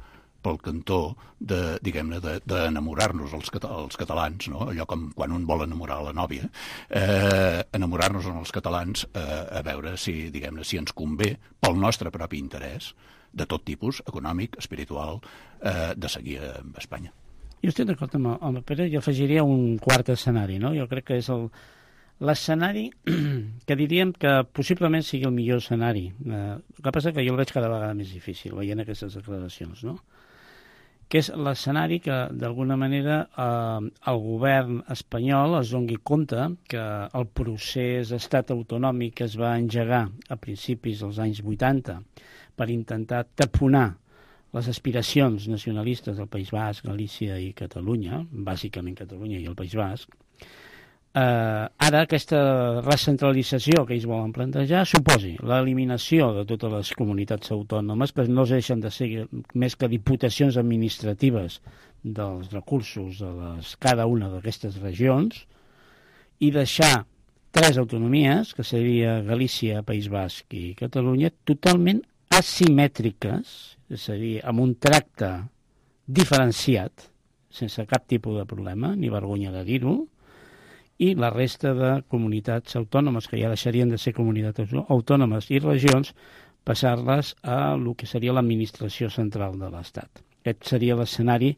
pel cantó de, diguem-ne, d'enamorar-nos els, els catalans, no? Allò com quan un vol enamorar la nòvia, eh, enamorar-nos els catalans eh, a veure si, diguem-ne, si ens convé pel nostre propi interès, de tot tipus, econòmic, espiritual, eh, de seguir amb Espanya.
Jo estic d'acord amb, amb el Pere, jo afegiria un quart escenari, no? Jo crec que és el l'escenari que diríem que possiblement sigui el millor escenari. Eh, el que passa que jo el veig cada vegada més difícil, veient aquestes declaracions, no? Que és l'escenari que, d'alguna manera, eh, el govern espanyol es doni compte que el procés d'estat autonòmic que es va engegar a principis dels anys vuitanta per intentar taponar les aspiracions nacionalistes del País Basc, Galícia i Catalunya, bàsicament Catalunya i el País Basc, eh, ara aquesta recentralització que ells volen plantejar suposi l'eliminació de totes les comunitats autònomes, que no deixen de ser més que diputacions administratives dels recursos de les, cada una d'aquestes regions, i deixar tres autonomies, que seria Galícia, País Basc i Catalunya, totalment asimètriques, és a dir, amb un tracte diferenciat, sense cap tipus de problema, ni vergonya de dir-ho, i la resta de comunitats autònomes, que ja deixarien de ser comunitats autònomes i regions, passar-les a el que seria l'administració central de l'Estat. Aquest seria l'escenari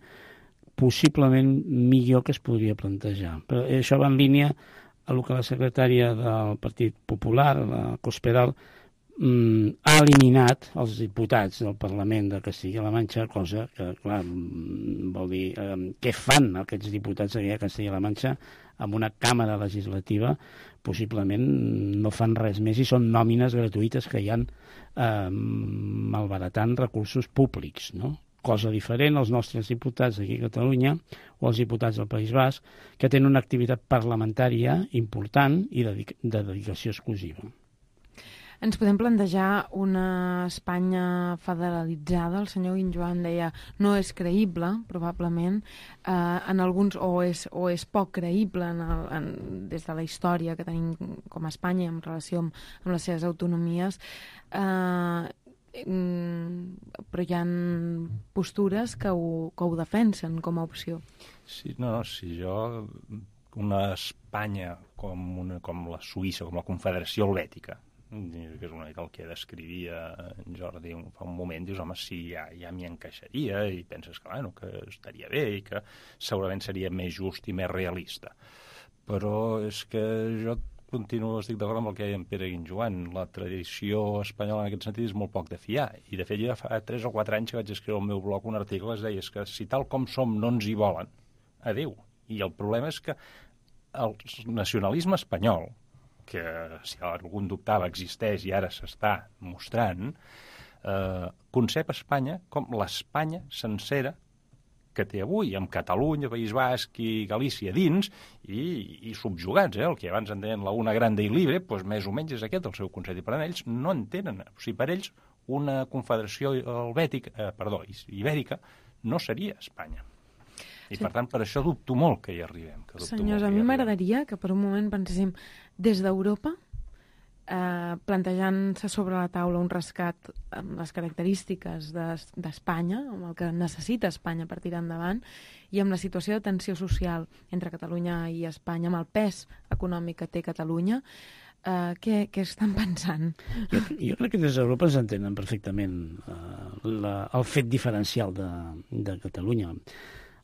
possiblement millor que es podria plantejar. Però això va en línia a el que la secretària del Partit Popular, la Cospedal, mm, ha eliminat els diputats del Parlament de Castilla-La Manxa, cosa que, clar, vol dir, eh, què fan aquests diputats de Castilla-La Manxa amb una càmera legislativa? Possiblement no fan res més i són nòmines gratuïtes que hi ha eh, malbaratant recursos públics, no? Cosa diferent als nostres diputats d'aquí a Catalunya o als diputats del País Basc, que tenen una activitat parlamentària important i de dedicació exclusiva.
Ens podem plantejar una Espanya federalitzada? El senyor Guinjoan deia no és creïble, probablement, eh, en alguns, o és, o és poc creïble en el, en, des de la història que tenim com a Espanya en relació amb, amb les seves autonomies. Eh, però hi ha postures que ho, que ho defensen com a opció.
Sí, no, no, si jo una Espanya com, una, com la Suïssa, com la Confederació Helvètica, que és una mica el que descrivia en Jordi fa un moment, dius, home, sí, ja, ja m'hi encaixaria i penses que, bueno, que estaria bé i que segurament seria més just i més realista. Però és que jo continuo, estic d'acord amb el que deia en Pere Guinjoan. La tradició espanyola en aquest sentit és molt poc de fiar. I de fet ja fa tres o quatre anys que vaig escriure al meu blog un article que es deia que si tal com som no ens hi volen, adéu. I el problema és que el nacionalisme espanyol, que si algun dubtava existeix i ara s'està mostrant, eh, concep Espanya com l'Espanya sencera que té avui, amb Catalunya, País Basc i Galícia dins, i, i subjugats, eh? El que abans entenen la una grande i libre, doncs més o menys és aquest el seu concepte. Per ells no entenen, o sigui, per ells una confederació helvètica, eh, perdó, ibèrica no seria Espanya. I sí. Per tant, per això dubto molt que hi arribem. Que
Senyors, a mi m'agradaria que per un moment penséssim des d'Europa, Eh, plantejant-se sobre la taula un rescat amb les característiques d'Espanya, de, amb el que necessita Espanya per tirar endavant, i amb la situació de tensió social entre Catalunya i Espanya, amb el pes econòmic que té Catalunya, eh, què, què estan pensant?
Jo, jo crec que des d'Europa ens entenen perfectament eh, la, el fet diferencial de, de Catalunya.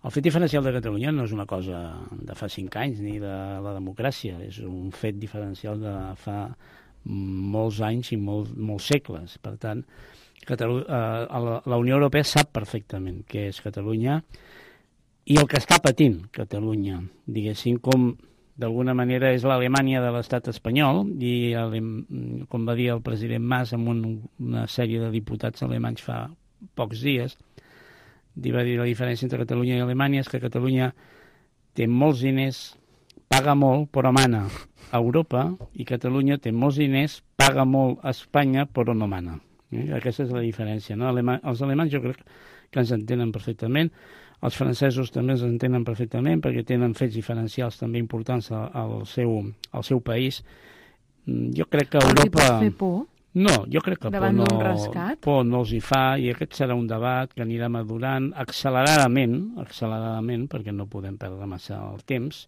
El fet diferencial de Catalunya no és una cosa de fa cinc anys ni de la democràcia, és un fet diferencial de fa molts anys i molts, molts segles. Per tant, Catalu- eh, la, la Unió Europea sap perfectament què és Catalunya i el que està patint Catalunya, diguéssim, com d'alguna manera és l'Alemanya de l'estat espanyol, i com va dir el president Mas amb un, una sèrie de diputats alemanys fa pocs dies, va dir la diferència entre Catalunya i Alemanya és que Catalunya té molts diners, paga molt, però mana a Europa, i Catalunya té molts diners, paga molt a Espanya, però no mana. Eh? Aquesta és la diferència, no? Alema- els alemanys jo crec que ens entenen perfectament, els francesos també ens entenen perfectament, perquè tenen fets diferencials també importants al seu, al seu país. Jo crec que Europa...
Els hi pot fer por?
No, jo crec que por no, por no els hi fa, i aquest serà un debat que anirà madurant acceleradament, acceleradament, perquè no podem perdre massa el temps,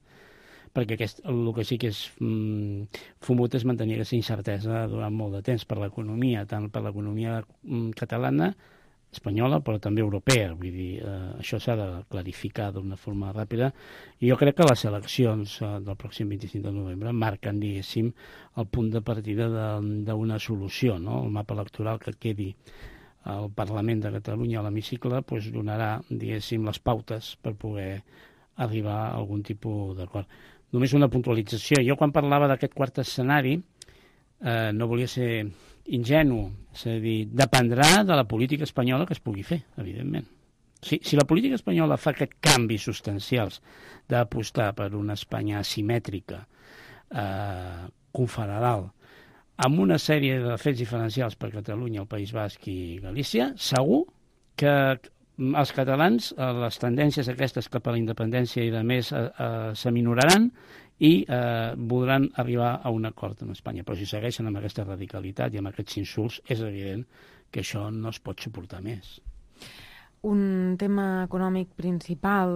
perquè aquest, el que sí que és mm, fumut és mantenir aquesta incertesa durant molt de temps per l'economia, tant per l'economia mm, catalana, espanyola, però també europea. Vull dir, eh, això s'ha de clarificar d'una forma ràpida, i jo crec que les eleccions eh, del pròxim vint-i-cinc de novembre marquen, diguéssim, el punt de partida d'una solució, no? El mapa electoral que quedi al Parlament de Catalunya, a l'hemicicle, doncs donarà, diguéssim, les pautes per poder arribar a algun tipus d'acord. Només una puntualització. Jo quan parlava d'aquest quart escenari eh, no volia ser ingenu, és a dir, dependrà de la política espanyola que es pugui fer, evidentment. Si, si la política espanyola fa aquests canvis substancials d'apostar per una Espanya asimètrica, eh, confederal, amb una sèrie de fets diferencials per Catalunya, el País Basc i Galícia, segur que els catalans, les tendències aquestes cap a la independència i de més eh, eh, s'aminoraran i eh, voldran arribar a un acord amb Espanya. Però si segueixen amb aquesta radicalitat i amb aquests insults, és evident que això no es pot suportar més.
Un tema econòmic principal,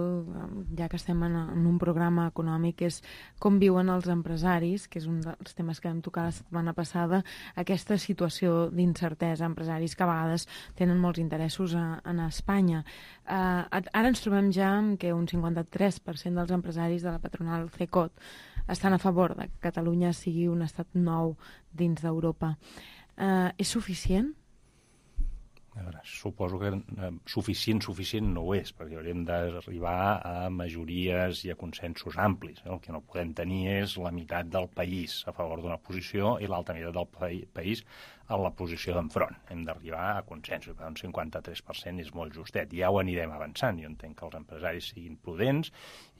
ja que estem en, en un programa econòmic, és com viuen els empresaris, que és un dels temes que vam tocar la setmana passada, aquesta situació d'incertesa, empresaris que a vegades tenen molts interessos a, a Espanya. Uh, ara ens trobem ja amb que un cinquanta-tres per cent dels empresaris de la patronal CECOT estan a favor de que Catalunya sigui un estat nou dins d'Europa. Uh, és suficient?
A veure, suposo que eh, suficient, suficient no ho és, perquè hauríem d'arribar a majories i a consensos amplis. Eh? El que no podem tenir és la meitat del país a favor d'una posició i l'altra meitat del pa país a la posició d'enfront. Hem d'arribar a consensos, però un cinquanta-tres per cent és molt justet. Ja ho anirem avançant. Jo entenc que els empresaris siguin prudents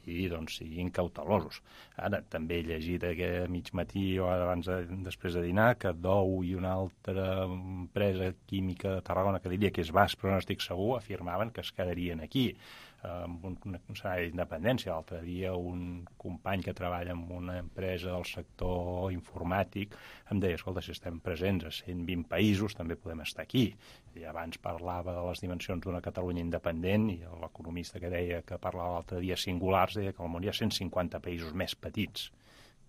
i doncs siguin cautelosos. Ara, també he llegit a mig matí o abans de, després de dinar que Dou i una altra empresa química de Tarragona, que diria que és Basf, però no estic segur, afirmaven que es quedarien aquí amb un, un salari d'independència. L'altre dia un company que treballa en una empresa del sector informàtic em deia, escolta, si estem presents a cent vint països també podem estar aquí. I abans parlava de les dimensions d'una Catalunya independent i l'economista que deia que parlava l'altre dia singulars deia que al món hi ha cent cinquanta països més petits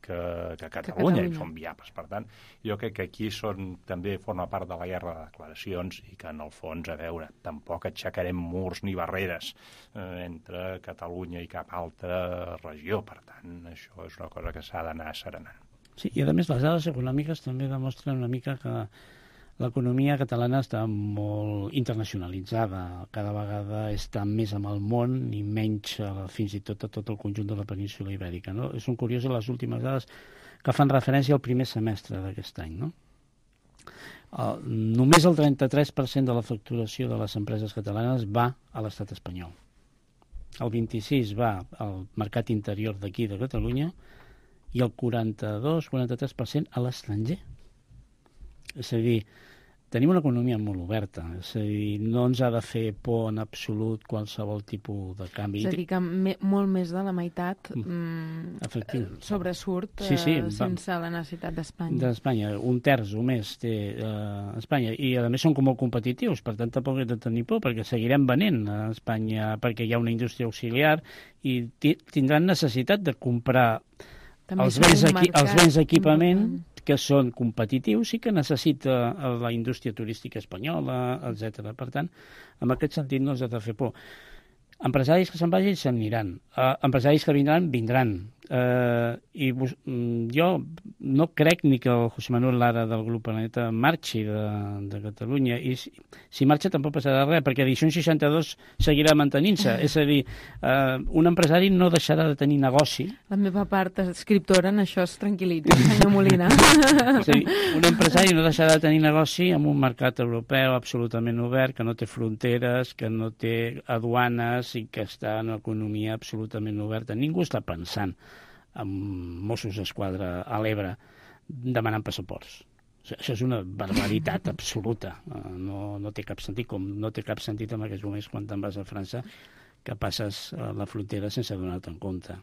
que, que Catalunya, que Catalunya, i són viables. Per tant, jo crec que aquí són, també forma part de la guerra de declaracions i que, en el fons, a veure, tampoc aixecarem murs ni barreres eh, entre Catalunya i cap altra regió. Per tant, això és una cosa que s'ha d'anar asserenant.
Sí, i a més les dades econòmiques també demostren una mica que l'economia catalana està molt internacionalitzada, cada vegada està més amb el món i menys fins i tot a tot el conjunt de la península ibèrica. No? Són curioses les últimes dades que fan referència al primer semestre d'aquest any. No? Uh, només el trenta-tres per cent de la facturació de les empreses catalanes va a l'estat espanyol. El vint-i-sis va al mercat interior d'aquí de Catalunya i el quaranta-dos quaranta-tres per cent a l'estranger. És a dir, tenim una economia molt oberta, és a dir, no ens ha de fer por en absolut qualsevol tipus de canvi.
És a dir, que me, molt més de la meitat mm, sobresurt sí, sí, eh, sense la necessitat d'Espanya.
D'Espanya, un terç o més té eh, Espanya, i a més són com molt competitius, per tant tampoc hem de tenir por, perquè seguirem venent a Espanya, perquè hi ha una indústria auxiliar i tindran necessitat de comprar els béns, equi els béns d'equipament que són competitius i que necessita la indústria turística espanyola, etcètera. Per tant, en aquest sentit no ens ha de fer por. Empresaris que se'n vagin, se'n aniran. Uh, empresaris que vindran, vindran. Uh, I jo no crec ni que el José Manuel Lara del Grup Planeta marxi de, de Catalunya. I si, si marxa tampoc passarà res, perquè Edicions seixanta-dos seguirà mantenint-se. És a dir, uh, un empresari no deixarà de tenir negoci.
La meva part escriptora en això es tranquil·litza, senyor Molina.
És a dir, un empresari no deixarà de tenir negoci en un mercat europeu absolutament obert, que no té fronteres, que no té aduanes, i que està en una economia absolutament oberta. Ningú està pensant en Mossos d'Esquadra a l'Ebre demanant passaports. Això és una barbaritat absoluta. No, no té cap sentit, com no té cap sentit en aquests moments quan te'n vas a França, que passes a la frontera sense donar-te en compte.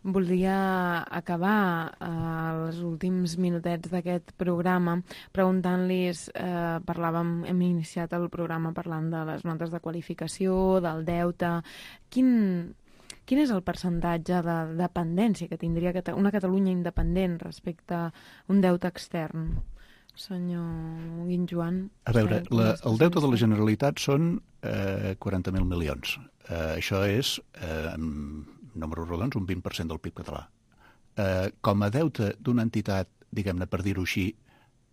Voldria acabar eh, els últims minutets d'aquest programa preguntant-los, eh, parlàvem, hem iniciat el programa parlant de les notes de qualificació, del deute. Quin, quin és el percentatge de dependència que tindria una Catalunya independent respecte a un deute extern? Senyor Guinjoan.
A veure, la, el deute de la Generalitat són eh, quaranta mil milions. Eh, això és... Eh, números rodons, un vint per cent del P I B català. Eh, com a deute d'una entitat, diguem-ne, per dir-ho així,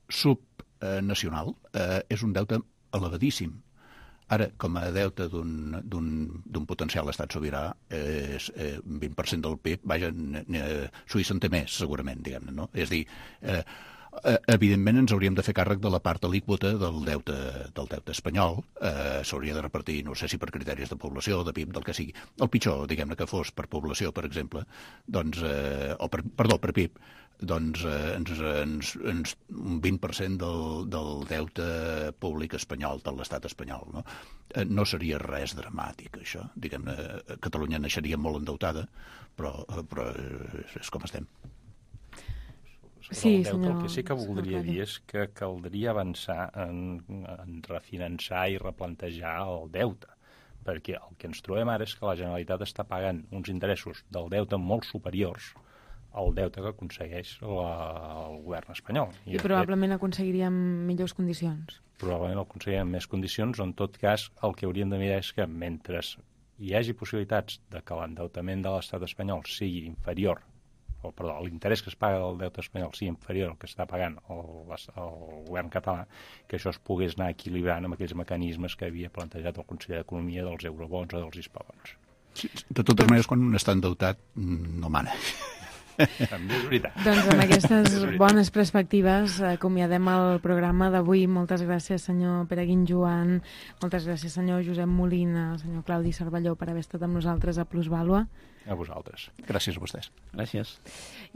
subnacional, eh, és un deute elevadíssim. Ara, com a deute d'un potencial estat sobirà, eh, és eh, un vint per cent del P I B, vaja, eh, Suïssa en té més, segurament, diguem-ne, no? És a dir, eh, evidentment ens hauríem de fer càrrec de la part alíquota del deute, del deute espanyol. Eh, s'hauria de repartir, no sé si per criteris de població, de P I B, del que sigui. El pitjor, diguem-ne, que fos per població, per exemple, doncs, eh, o per, perdó, per P I B, doncs eh, ens, ens, ens, un vint per cent del, del deute públic espanyol, de l'estat espanyol. No? Eh, no seria res dramàtic, això. Diguem-ne, Catalunya naixeria molt endeutada, però, però és com estem.
sobre
Sí,
el deute,
senyor,
el que sí que voldria
senyor
dir és que caldria avançar en, en refinançar i replantejar el deute, perquè el que ens trobem ara és que la Generalitat està pagant uns interessos del deute molt superiors al deute que aconsegueix la, el govern espanyol.
I, I probablement fet, aconseguiríem millors condicions.
Probablement aconseguiríem més condicions, o en tot cas el que hauríem de mirar és que mentre hi hagi possibilitats de que l'endeutament de l'estat espanyol sigui inferior, o perdó, l'interès que es paga del deute espanyol sigui inferior al que està pagant el, el govern català, que això es pogués anar equilibrant amb aquells mecanismes que havia plantejat el Consell d'Economia dels eurobons o dels hispabons.
Sí, de totes maneres, quan un està endeutat, no mana.
També és veritat.
Doncs amb aquestes bones perspectives acomiadem el programa d'avui. Moltes gràcies, senyor Pere Guinjoan, moltes gràcies, senyor Josep Molina, senyor Claudi Cervelló, per haver estat amb nosaltres a Plusvàlua.
A vosaltres.
Gràcies a vostès.
Gràcies.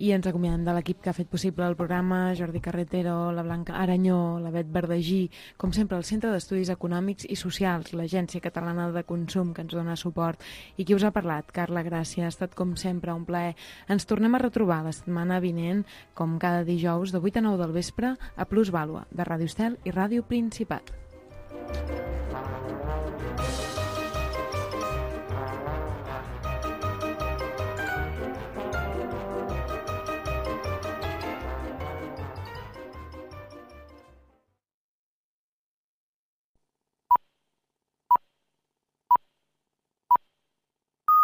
I ens acomiadem de l'equip que ha fet possible el programa, Jordi Carretero, la Blanca Aranyó, la Bet Verdagí, com sempre el Centre d'Estudis Econòmics i Socials, l'Agència Catalana de Consum, que ens dona suport, i qui us ha parlat, Carla Gràcia. Ha estat com sempre un plaer. Ens tornem a retrobar la setmana vinent, com cada dijous, de vuit a nou del vespre, a Plusvàlua, de Ràdio Estel i Ràdio Principat.